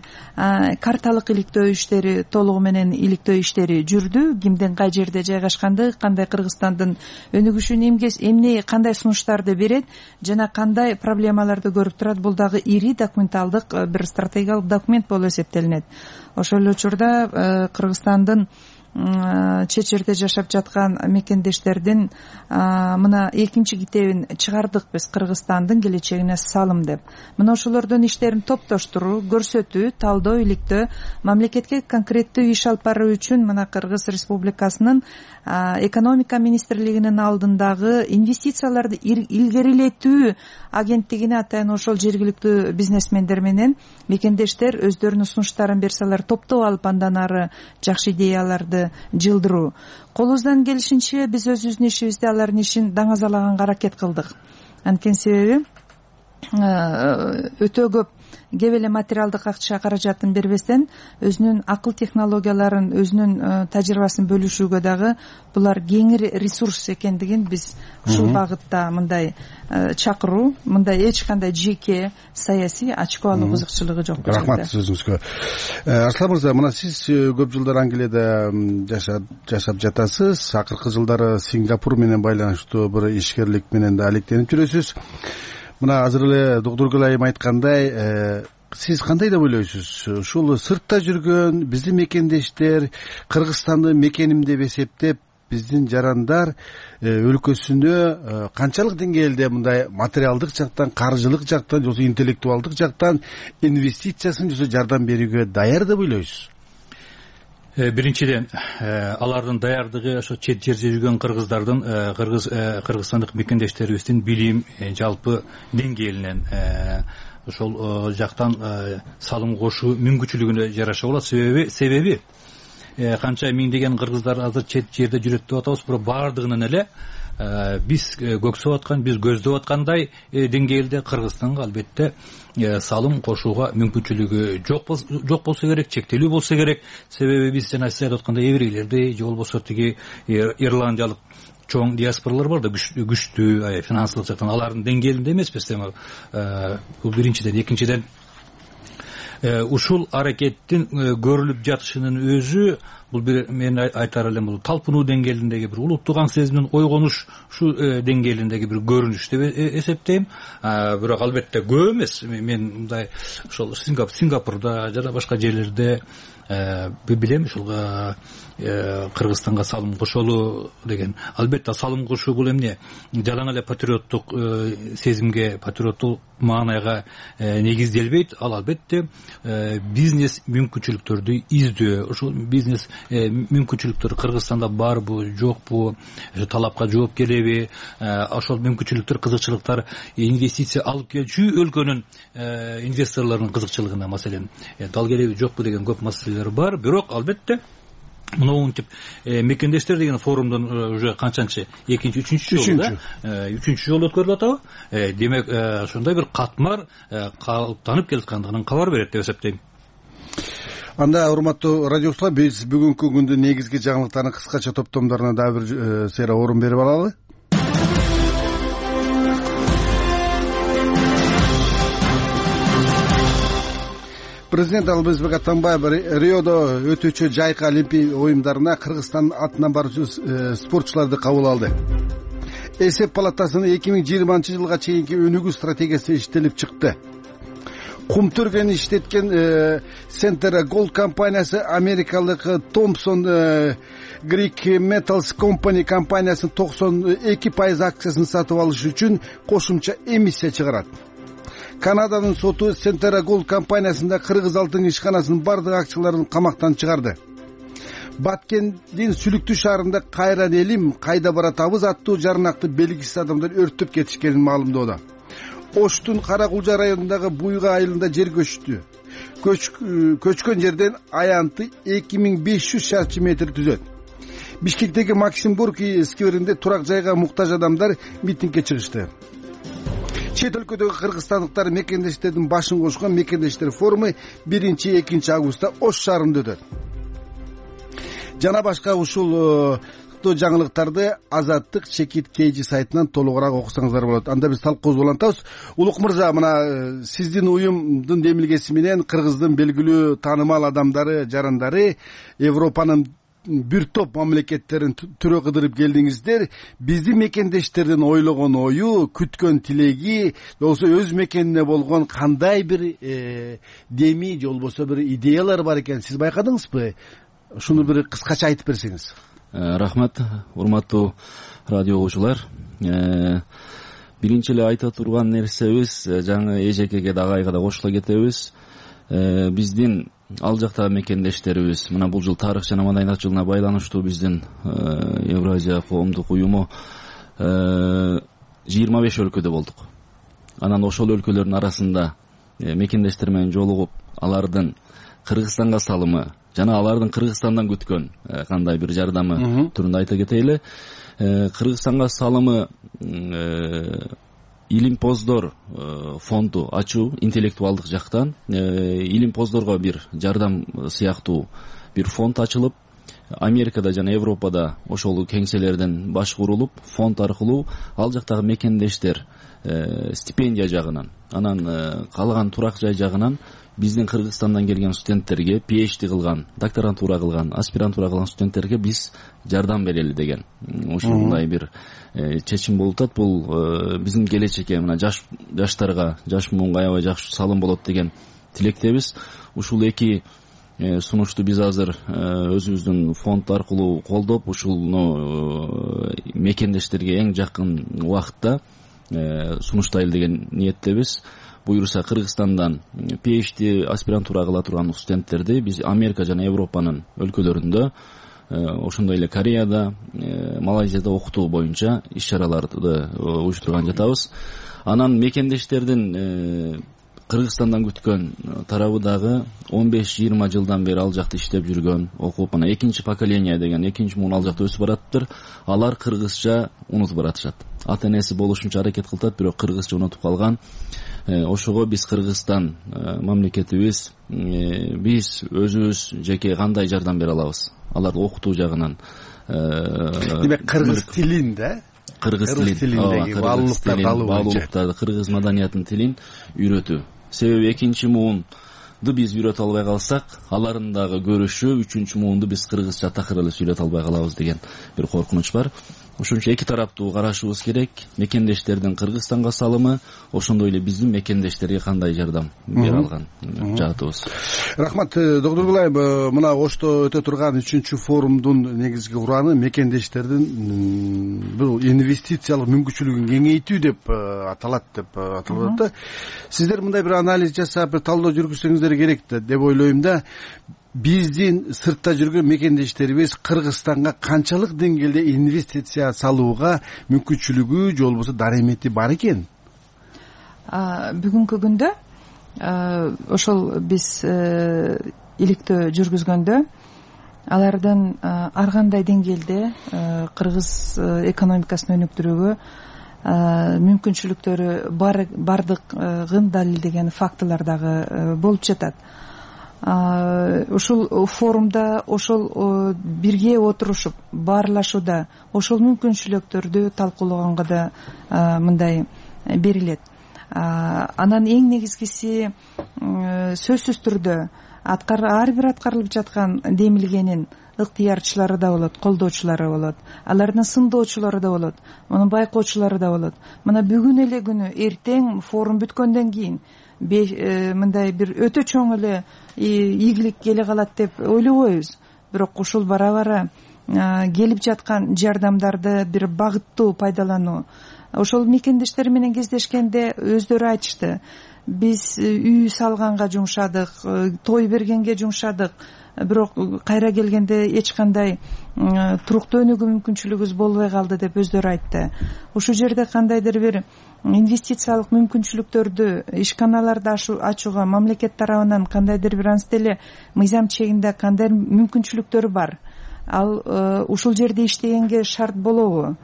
карталык иликтөө иштери, толугу менен иликтөө иштери жүрдү. Кимдин кай жерде жайгашкандыгы, кандай Кыргызстандын өнүгүшүнө эмне, кандай сунуштарды берет жана кандай проблемаларды көрүп турат, бул дагы ири документалдык бир стратегиялык документ болуп эсептелинет. Ошол эле учурда Кыргызстандын чет жерде жашап жаткан мекендештердин мына экинчи китебин чыгардык биз, Кыргызстандын келечегине салым деп. Мына ошолордун иштерин топтоштуруу, көрсөтүү, талдоо, иликтөө, мамлекетке конкреттүү иш алып баруу үчүн мына Кыргыз Республикасынын экономика министрлигинин алдындагы инвестицияларды илгерилетүү агенттигине атайын ошол жергиликтүү бизнесмендер менен мекендештер өздөрүнүн сунуштарын берсе, алар топтоп алып андан ары жакшы идеяларды жылдыруу. Колубуздан келишинче биз өзүбүздүн ишибизде алардын ишин даңазалаганга аракет кылдык. Анткени себеби өтө көп кеп эле материалдык акча каражатын бербестен өзүнүн акыл технологияларын, өзүнүн тажрыйбасын бөлүшүүгө дагы булар кеңири ресурс экендигин биз ушул багытта мындай чакыруу, мындай эч кандай жеке саясий ачкоо алуу кызыкчылыгы жок. Рахмат сөзүңүзгө. Арслан мырза, мына сиз көп жылдар Англияда жашап жатасыз. Акыркы жылдары Сингапур менен байланыштуу бир ишкерлик менен да алектенип жүрөсүз. Мына азыр эле доктор Айым айткандай, сиз кандай деп ойлойсуз? Ушул сыртта жүргөн биздин мекендештер Кыргызстанды мекеним деп эсептеп, биздин жарандар өлкөсүнө канчалык деңгээлде мындай материалдык жактан, каржылык жактан, же интеллектуалдык жактан инвестициясын же жардам берүүгө даяр деп ойлойсуз? Биринчиден, алардын даярдыгы ошо чет жерде жүргөн кыргыздардын, кыргыз кыргызстандык мекендештерибиздин билим жалпы деңгээлинен ошол жактан салым кошуу мүмкүнчүлүгүнө жараша болот. Себеби себеби канча миңдеген кыргыздар азыр чет жерде жүрөт деп атабыз, бирок баардыгынын эле биз көксөп аткан, биз көздөп аткандай деңгээлде Кыргызстанга албетте салым кошууга мүмкүнчүлүгү жок болсо керек, чектелүү болсо керек. Себеби биз жана сиз айтып аткандай еврейлерди же болбосо тиги ирландиялык чоң диаспоралар бар да, күчтүү финансылык жактан алардын деңгээлинде эмеспиз. Эми бул биринчиден. Экинчиден, ушул аракеттин көрүлүп жатышынын өзү бул бир мен айтар элем бул талпынуу деңгээлиндеги бир улуттук аң сезимдин ойгонуш ушу деңгээлиндеги бир көрүнүш деп эсептейм. Бирок албетте көп эмес. Мен мындай ошол Сингапурда жана башка жерлерде билем ушул Кыргызстанга салым кошолу деген. Албетте салым кошуу бул эмне? Жалаң эле патриоттук сезимге, патриоттук маанайга негизделбейт. Ал албетте бизнес мүмкүнчүлүктөрдү издөө. Ошол бизнес мүмкүнчүлүктөр Кыргызстанда барбы, жокпу, талапка жооп келеби, ошол мүмкүнчүлүктөр, кызыкчылыктар инвестиция алып келчү өлкөнүн инвесторлорунун кызыкчылыгына маселен дал келеби, жокпу деген көп маселелер бар. Бирок албетте монтип мекендештер деген форумдун уже канчанчы экинчи, үчүнчү жолу да, үчүнчү жолу өткөрүлүп атабы. Демек ошондой бир катмар калыптанып келаткандыгынан кабар берет деп эсептейм. Анда урматтуу радиочулар, биз бүгүнкү күндүн негизги жаңылыктарынын кыскача топтомдоруна дагы бир сейра орун берип алалы. Президент Албазбек Атамбаев Риодо өтүүчү жайкы Олимпия оюндарына Кыргызстан атынан баруучу спортчуларды кабыл алды. Эсеп палатасынын эки миң жыйырманчы жылга чейинки өнүгүү стратегиясы иштелип чыкты. Кум түргени иштеткен Center Gold компаниясы америкалык Thompson Greek Metals Company компаниясынын токсон эки пайыз акциясын сатып алыш үчүн кошумча эмиссия чыгарат. Канаданын соту Center Gold компаниясында Кыргыз алтын ишканасынын бардык акцияларын камактан чыгарды. Баткендин Сүлүктүү шаарында кайран элим кайда баратабыз аттуу жарнакты белгисиз адамдар өрттөп кетишкенин маалымдоодо. Оштун Каракулжа районундагы Буйга айылында жер көчтү. Көчкөн жерден аянты эки миң беш жүз шарчы метр түзөт. Бишкектеги Максим Горький скверинде турак жайга муктаж адамдар митингге чыгышты. Чет өлкөдөгү кыргызстандыктар мекендештердин башын кошкон мекендештер форуму биринчи экинчи августта Ош шаарында өтөт. Жана башка ушул жаңылыктарды Азаттык Чекит Кейжи сайтынан толугураак окусаңыздар болот. Анда биз талкуубузду улантабыз. Улук мырза, мына сиздин уюмдун демилгеси менен Кыргыздын белгилүү таанымал адамдары, жарандары Европанын бир топ мамлекеттерин түрө кыдырып келдиңиздер. Биздин мекендештердин ойлогон ою, күткөн тилеги, болсо өз мекенине болгон кандай бир деми, же болбосо бир идеялар бар экен, сиз байкадыңызбы? Ушуну бир кыскача айтып берсеңиз. Рахмат, урматтуу радио угуучулар. Биринчи эле айта турган нерсебиз, жаңы эжекеге да агайга да кошула кетебиз. Биздин ал жактагы мекендештерибиз, мына бул жыл тарых жана маданият жылына байланыштуу биздин Евразия коомдук уюму жыйырма беш өлкөдө болдук. Анан ошол өлкөлөрдүн арасында мекендештер менен жолугуп, алардын Кыргызстанга салымы жана алардын Кыргызстандан күткөн кандай бир жардамы түрүндө айта кетели. Кыргызстанга салымы Илимпоздор фонду ачуу интеллектуалдык жактан илимпоздорго бир жардам сыяктуу бир фонд ачылып, Америкада жана Европада ошол кеңселерден баш курулуп, фонд аркылуу ал жактагы мекендештер стипендия жагынан, анан калган турак жай жагынан биздин Кыргызстандан келген студенттерге, пи эйч ди кылган, докторантура кылган, аспирантура кылган студенттерге биз жардам берели деген ушундай бир чечим болуп атат. Бул биздин келечекке, мына жаш жаштарга, жаш муунга аябай жакшы салым болот деген тилектебиз. Ушул эки сунушту биз азыр өзүбүздүн фонд аркылуу колдоп, ушуну мекендештерге эң жакын убакытта сунуштайлы деген ниеттебиз. Буюрса Кыргызстандан пи эйч ди аспирантура кыла турган студенттерди биз Америка жана Европанын өлкөлөрүндө, ошондой эле Кореяда, Малайзияда окутуу боюнча иш чараларды уюштурган жатабыз. Анан мекендештердин Кыргызстандан күткөн тарабы дагы он беш жыйырма жылдан бери ал жакта иштеп жүргөн, окуп, мына экинчи поколение деген экинчи муун ал жакта өсүп баратыптыр. Алар кыргызча унутуп баратышат. Ата энеси болушунча аракет кылтат, бирок кыргызча унутуп калган. Ошого биз Кыргызстан мамлекетибиз биз өзүбүз жеке кандай жардам бере алабыз? Аларды окутуу жагынан. Демек кыргыз тилин да? Кыргыз тилиндеги баалуулуктарды алуу, баалуулуктарды, кыргыз маданиятынын тилин үйрөтүү. Себеби экинчи муунду биз үйрөтө албай калсак, алардын дагы көрүшү үчүнчү муунду биз кыргызча такыр эле сүйлөтө албай калабыз деген бир коркунуч бар. Ошон үчүн эки тараптуу карашыбыз керек. Мекендештердин Кыргызстанга салымы, ошондой эле биздин мекендештерге кандай жардам бере алган жаатыбыз. Рахмат, доктор Булаев, мына Ошто өтө турган үчүнчү форумдун негизги ураны мекендештердин бул инвестициялык мүмкүнчүлүгүн кеңейтүү деп аталат деп аталып атат. Сиздер мындай бир анализ жасап, бир талдоо жүргүзсөңүздөр керек деп ойлойм да. Биздин сыртта жүргөн мекендештерибиз Кыргызстанга канчалык деңгээлде инвестиция салууга мүмкүнчүлүгү же болбосо даремети бар экен? Бүгүнкү күндө ошол биз иликтөө жүргүзгөндө алардын ар кандай деңгээлде кыргыз экономикасын өнүктүрүүгө мүмкүнчүлүктөрү бардыгын далилдеген фактылар дагы болуп жатат. Ушул форумда ошол бирге отурушуп баарлашууда ошол мүмкүнчүлүктөрдү талкуулаганга да мындай берилет. Анан эң негизгиси сөзсүз түрдө ар бир аткарылып жаткан демилгенин ыктыярчылары да болот, колдоочулары болот, алардын сындоочулары да болот, муну байкоочулары да болот. Мына бүгүн эле күнү эртең форум бүткөндөн кийин мындай бир өтө чоң эле ийгилик келе калат деп ойлобойбуз. Бирок ушул бара-бара келип жаткан жардамдарды бир багыттуу пайдалануу. Ошол мекендештер менен кездешкенде өздөрү айтышты. Биз үй салганга жумшадык, той бергенге жумшадык, бирок кайра келгенде эч кандай туруктуу өнүгүү мүмкүнчүлүгүбүз болбой калды деп өздөрү айтты. Ушул жерде кандайдыр бир инвестициялык мүмкүнчүлүктөрдү, ишканаларды ачууга мамлекет тарабынан кандайдыр бир анча эле мыйзам чегинде кандай мүмкүнчүлүктөрү бар? Ал ушул жерде иштегенге шарт болобу?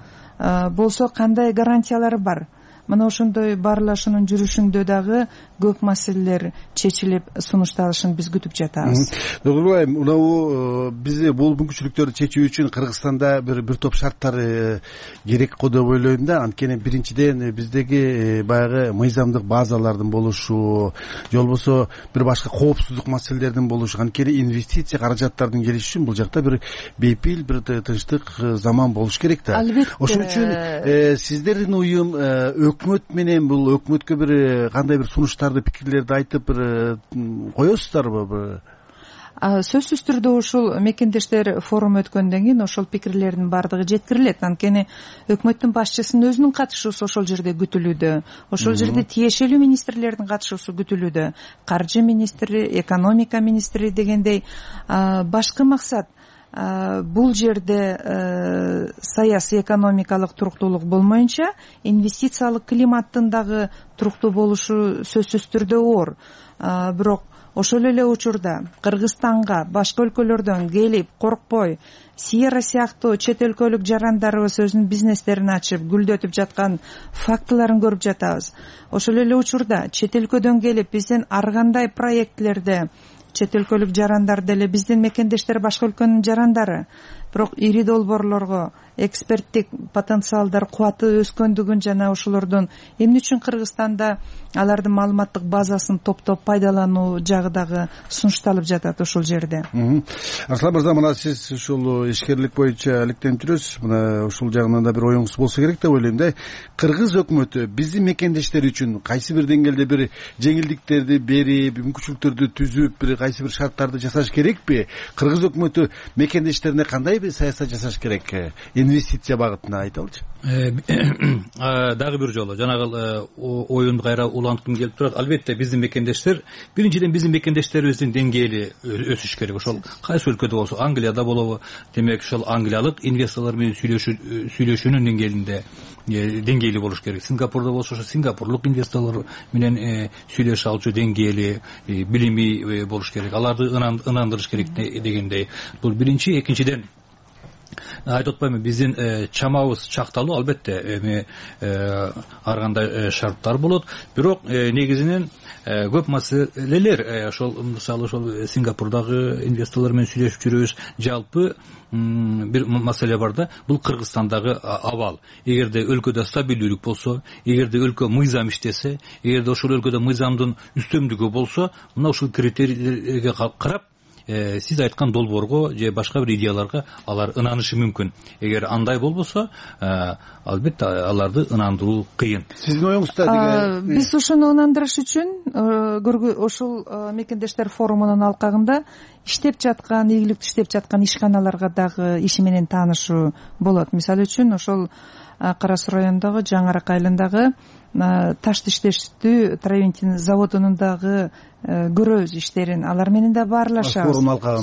Болсо кандай гарантиялары бар? Мына ошондой баарлашуунун жүрүшүндө дагы көп маселелер чечилип сунушталышын биз күтүп жатабыз. Доктор Булаев, мына бизде бул мүмкүнчүлүктөрдү чечүү үчүн Кыргызстанда бир бир топ шарттар керек го деп ойлойм да. Анткени биринчиден биздеги баягы мыйзамдык базалардын болушу, же болбосо бир башка коопсуздук маселелердин болушу, анткени инвестиция каражаттардын келиши үчүн бул жакта бир бейпил, бир тынчтык заман болуш керек да. Албетте. Ошон үчүн сиздердин уюм өкмөт менен бул өкмөткө бир кандай бир сунуштарды, пикирлерди айтып бир коесуздарбы? Сөзсүз түрдө ушул мекендештер форуму өткөндөн кийин ошол пикирлердин баардыгы жеткирилет. Анткени өкмөттүн башчысынын өзүнүн катышуусу ошол жерде күтүлүүдө. Ошол жерде тиешелүү министрлердин катышуусу күтүлүүдө. Каржы министри, экономика министри дегендей башкы максат бул жерде саясий экономикалык туруктуулук болмоюнча инвестициялык климаттын дагы туруктуу болушу сөзсүз түрдө оор. Бирок ошол эле учурда Кыргызстанга башка өлкөлөрдөн келип коркпой Сиера сыяктуу чет өлкөлүк жарандарыбыз өзүнүн бизнестерин ачып гүлдөтүп жаткан фактыларын көрүп жатабыз. Ошол эле учурда чет өлкөдөн келип биздин ар кандай проектлерде чет өлкөлүк жарандар деле биздин мекендештер башка өлкөнүн жарандары, бирок ири долбоорлорго эксперттик потенциалдар кубаты өскөндүгүн жана ошолордун эмне үчүн Кыргызстанда алардын маалыматтык базасын топтоп пайдалануу жагы дагы сунушталып жатат ошол жерде. Арслан мырза, мына сиз ушул ишкерлик боюнча иликтенип жүрөсүз. Мына ушул жагынан да бир оюңуз болсо керек деп ойлойм да. Кыргыз өкмөтү биздин мекендештер үчүн кайсы бир деңгээлде бир жеңилдиктерди берип, мүмкүнчүлүктөрдү түзүп, бир кайсы бир шарттарды жасаш керекпи? Кыргыз өкмөтү мекендештерине кандай бир саясат жасаш керек? Инвестиция багытына айталычы. Дагы бир жолу жанагы оюнду кайра уланткым келип турат. Албетте биздин мекендештер, биринчиден биздин мекендештерибиздин деңгээли өсүш керек. Ошол кайсы өлкөдө болсо, Англияда болобу, демек ошол англиялык инвесторлор менен сүйлөшүүнүн деңгээлинде деңгээли болуш керек. Сингапурда болсо ошо сингапурлук инвесторлор менен сүйлөшө алчу деңгээли, билими болуш керек. Аларды ынандырыш керек дегендей. Бул биринчи. Экинчиден, айтып атпаймынбы, биздин чамабыз чакталуу, албетте эми ар кандай шарттар болот, бирок негизинен көп маселелер ошол мисалы ошол Сингапурдагы инвесторлор менен сүйлөшүп жүрөбүз. Жалпы бир маселе бар да, бул Кыргызстандагы абал. Эгерде өлкөдө стабилдүүлүк болсо, эгерде өлкө мыйзам иштесе, эгерде ошол өлкөдө мыйзамдын үстөмдүгү болсо, мына ушул критерийлерге карап сиз айткан долбоорго же башка бир идеяларга алар ынанышы мүмкүн. Эгер андай болбосо, албетте аларды ынандыруу кыйын. Сиздин оюңузда биз ушуну ынандырыш үчүн ушул мекендештер форумунун алкагында иштеп жаткан, ийгиликтүү иштеп жаткан ишканаларга дагы иши менен таанышуу болот. Мисалы үчүн ошол Кара Суу районундагы Жаңы Арак айылындагы таш иштештүү Травентин заводунун дагы көрөбүз иштерин. Алар менен да баарлашабыз.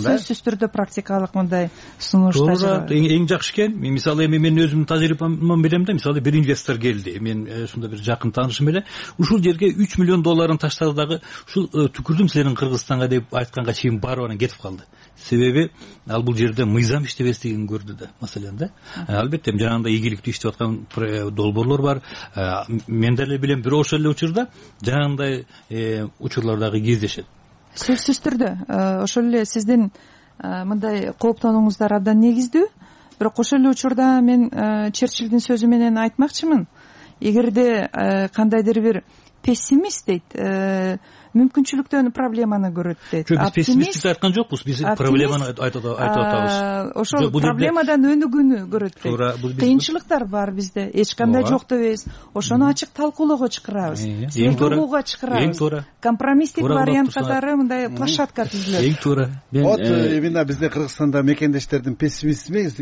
Сөзсүз түрдө практикалык мындай сунуштар. Туура, эң жакшы экен. Мен мисалы эми мен өзүмдүн тажрыйбамдан билем да, мисалы бир инвестор келди. Мен ушунда бир жакын таанышым эле. Ушул жерге үч миллион долларын таштады дагы ушул түкүрдүм силердин Кыргызстанга деп айтканга чейин барып анан кетип калды. Себеби ал бул жерде мыйзам иштебестигин көрдү да, маселен да. Албетте жанагындай ийгиликтүү иштеп аткан долбоорлор бар. Мен деле билем, бирок ошол эле учурда жанагындай учурлар дагы кездешет. Сөзсүз түрдө ошол эле сиздин мындай кооптонууңуздар абдан негиздүү. Бирок ошол эле учурда мен Черчиллдин сөзү менен айтмакчымын. Эгерде кандайдыр бир пессимист дейт, мүмкүнчүлүктөн проблеманы көрөт дейт. Биз пессимисттик айткан жокпуз, биз проблеманы айтып атабыз. Ошол проблемадан өнүгүүнү көрөт дейт. Кыйынчылыктар бар бизде, эч кандай жок дебейбиз. Ошону ачык талкуулоого чакырабыз, талкууга чакырабыз. Компромисстик вариант катары мындай площадка түзүлөт. Эң туура. Вот именно бизде Кыргызстанда мекендештердин пессимист эмес,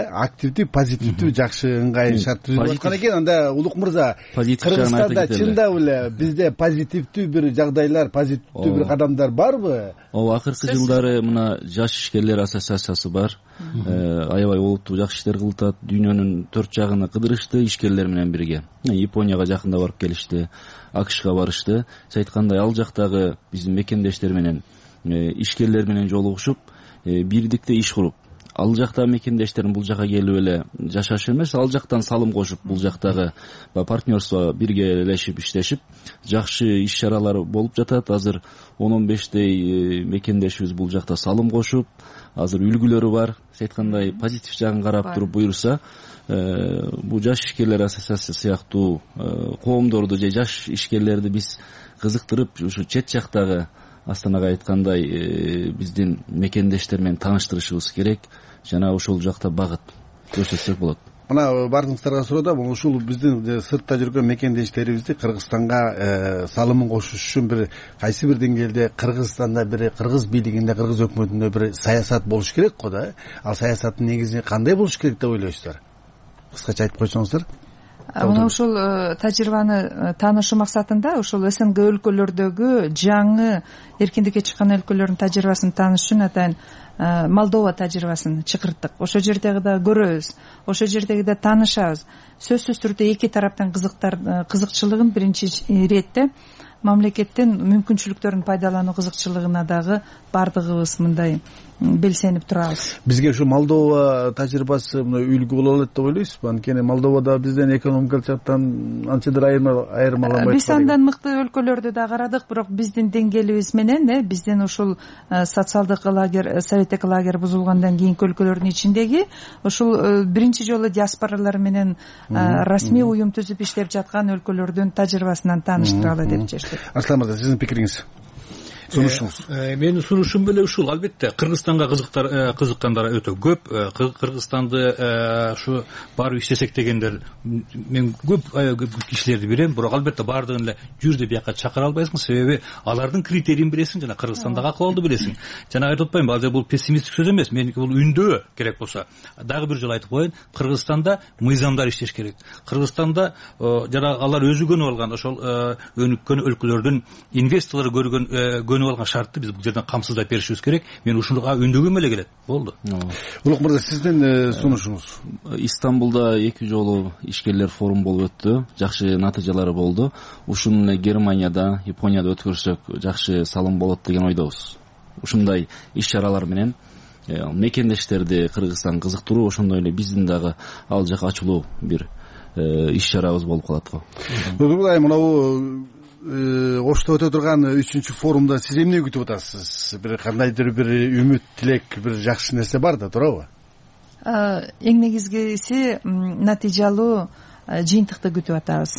активдүү, позитивдүү, жакшы ыңгай шарт түзүлүп аткан экен. Анда Улук мырза, Кыргызстанда чындап эле бизде позитивдүү бир жагдайлар, позитивдүү бир кадамдар барбы? Ооба, акыркы жылдары мына жаш ишкерлер ассоциациясы бар. Аябай олуттуу жакшы иштер кылып атат. Дүйнөнүн төрт жагына кыдырышты ишкерлер менен бирге. Японияга жакында барып келишти, АКШга барышты. Сиз айткандай ал жактагы биздин мекендештер менен, ишкерлер менен жолугушуп, бирдикте иш куруп, ал жактагы мекендештерин бул жака келип эле жашаш эмес, ал жактан салым кошуп, бул жактагы партнерство биргелешип иштешип, жакшы иш-чаралар болуп жатат. Азыр он он бештей мекендешибиз бул жакта салым кошуп, азыр үлгүлөрү бар. Сиз айткандай позитив жагын карап туруп буюрса, бул жаш ишкерлер ассоциациясы сыяктуу коомдорду же жаш ишкерлерди биз кызыктырып, ушу чет жактагы Астанага айткандай биздин мекендештер менен тааныштырышыбыз керек. Жана ошол жакта багыт көрсөтсөк болот. Мына баардыгыңыздарга суроодо, ушул биздин сыртта жүргөн мекендештерибизди Кыргызстанга салымын кошуш үчүн бир кайсы бир деңгээлде Кыргызстанда бир кыргыз бийлигинде, кыргыз өкмөтүндө бир саясат болуш керек го да. Ал саясаттын негизи кандай болуш керек деп ойлойсуздар? Кыскача айтып койсоңуздар. Мына ушул тажрыйбаны таанышуу максатында ушул СНГ өлкөлөрдөгү жаңы эркиндикке чыккан өлкөлөрдүн тажрыйбасын таанышыш үчүн атайын Молдова тажрыйбасын чакырттык. Ошол жердеги да көрөбүз, ошол жердеги да таанышабыз. Сөзсүз түрдө эки тараптын кызыктар кызыкчылыгын биринчи иретте мамлекеттин мүмкүнчүлүктөрүн пайдалануу кызыкчылыгына дагы баардыгыбыз мындай белсенип турабыз. Бизге ушу Молдова тажрыйбасы үлгү боло алат деп ойлойсузбу? Анткени Молдовада бизден экономикалык жактан анчадыр айырмаланбайт. Биз андан мыкты өлкөлөрдү да карадык, бирок биздин деңгээлибиз менен, э, биздин ушул социалдык лагерь, советтик лагерь бузулгандан кийинки өлкөлөрдүн ичиндеги ушул биринчи жолу диаспоралар менен расмий уюм түзүп иштеп жаткан өлкөлөрдүн тажрыйбасынан тааныштыралы деп чечтик. Арслан мырза, сиздин пикириңиз? Сунушуңуз? Менин сунушум эле ушул. Албетте Кыргызстанга кызыктар кызыккандар өтө көп. Кыргызстанды ушу барып иштесек дегендер мен көп кишилерди билем, бирок албетте баардыгын эле жүр деп бияка чакыра албайсың, себеби алардын критерийин билесиң жана Кыргызстандагы акыбалды билесиң. Жана айтып атпаймынбы, азыр бул пессимисттик сөз эмес, меники бул үндөө керек болсо. Дагы бир жолу айтып коеюн, Кыргызстанда мыйзамдар иштеш керек. Кыргызстанда жана алар өзү көнүп алган ошол өнүккөн өлкөлөрдүн инвесторлор көргөн көнүп алган шартты биз бул жерден камсыздап беришибиз керек. Мен ушуга үндөгөм эле келет. Болду. Улук мырза, сиздин сунушуңуз? Истамбулда эки жолу ишкерлер форум болуп өттү. Жакшы натыйжалары болду. Ушуну эле Германияда, Японияда өткөрсөк жакшы салым болот деген ойдобуз. Ушундай иш-чаралар менен мекендештерди Кыргызстан кызыктыруу, ошондой эле биздин дагы ал жака ачылуу бир иш-чарабыз болуп калат го. Бүгүн мынабу Ошто өтө турган үчүнчү форумда сиз эмне күтүп атасыз? Бир кандайдыр бир үмүт, тилек, бир жакшы нерсе бар да, туурабы? Эң негизгиси натыйжалуу жыйынтыкты күтүп атабыз.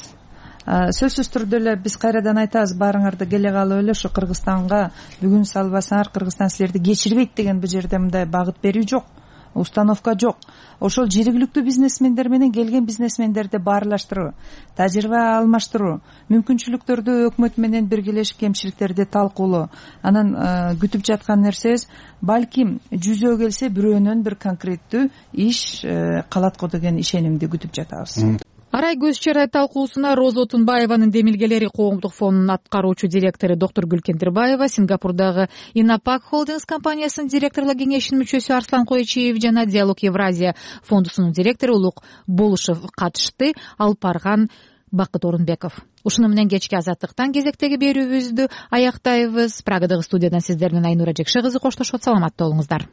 Сөзсүз түрдө эле биз кайрадан айтабыз, баарыңарды келе калып эле ушу Кыргызстанга бүгүн салбасаңар, Кыргызстан силерди кечирбейт деген бул жерде мындай багыт берүү жок, установка жок. Ошол жергиликтүү бизнесмендер менен келген бизнесмендерди баарлаштыруу, тажрыйба алмаштыруу, мүмкүнчүлүктөрдү өкмөт менен биргелешип кемчиликтерди талкуулоо. Анан күтүп жаткан нерсебиз балким жүзөө келсе бирөөнөн бир конкреттүү иш калат го деген ишенимди күтүп жатабыз. Арай көз чарай талкуусуна Роза Отунбаеванын Демилгелери коомдук фондунун аткаруучу директору доктор Гүлкендирбаева, Сингапурдагы Инапак Холдингс компаниясынын директорлук кеңешинин мүчөсү Арслан Койчиев жана Диалог Евразия фондусунун директору Улук Болушев катышты. Алып барган Бакыт Орунбеков. Ушуну менен кечки Азаттыктан кезектеги берүүбүздү аяктайбыз. Прагадагы студиядан сиздер менен Айнура Жекше кызы коштошот. Саламатта болуңуздар.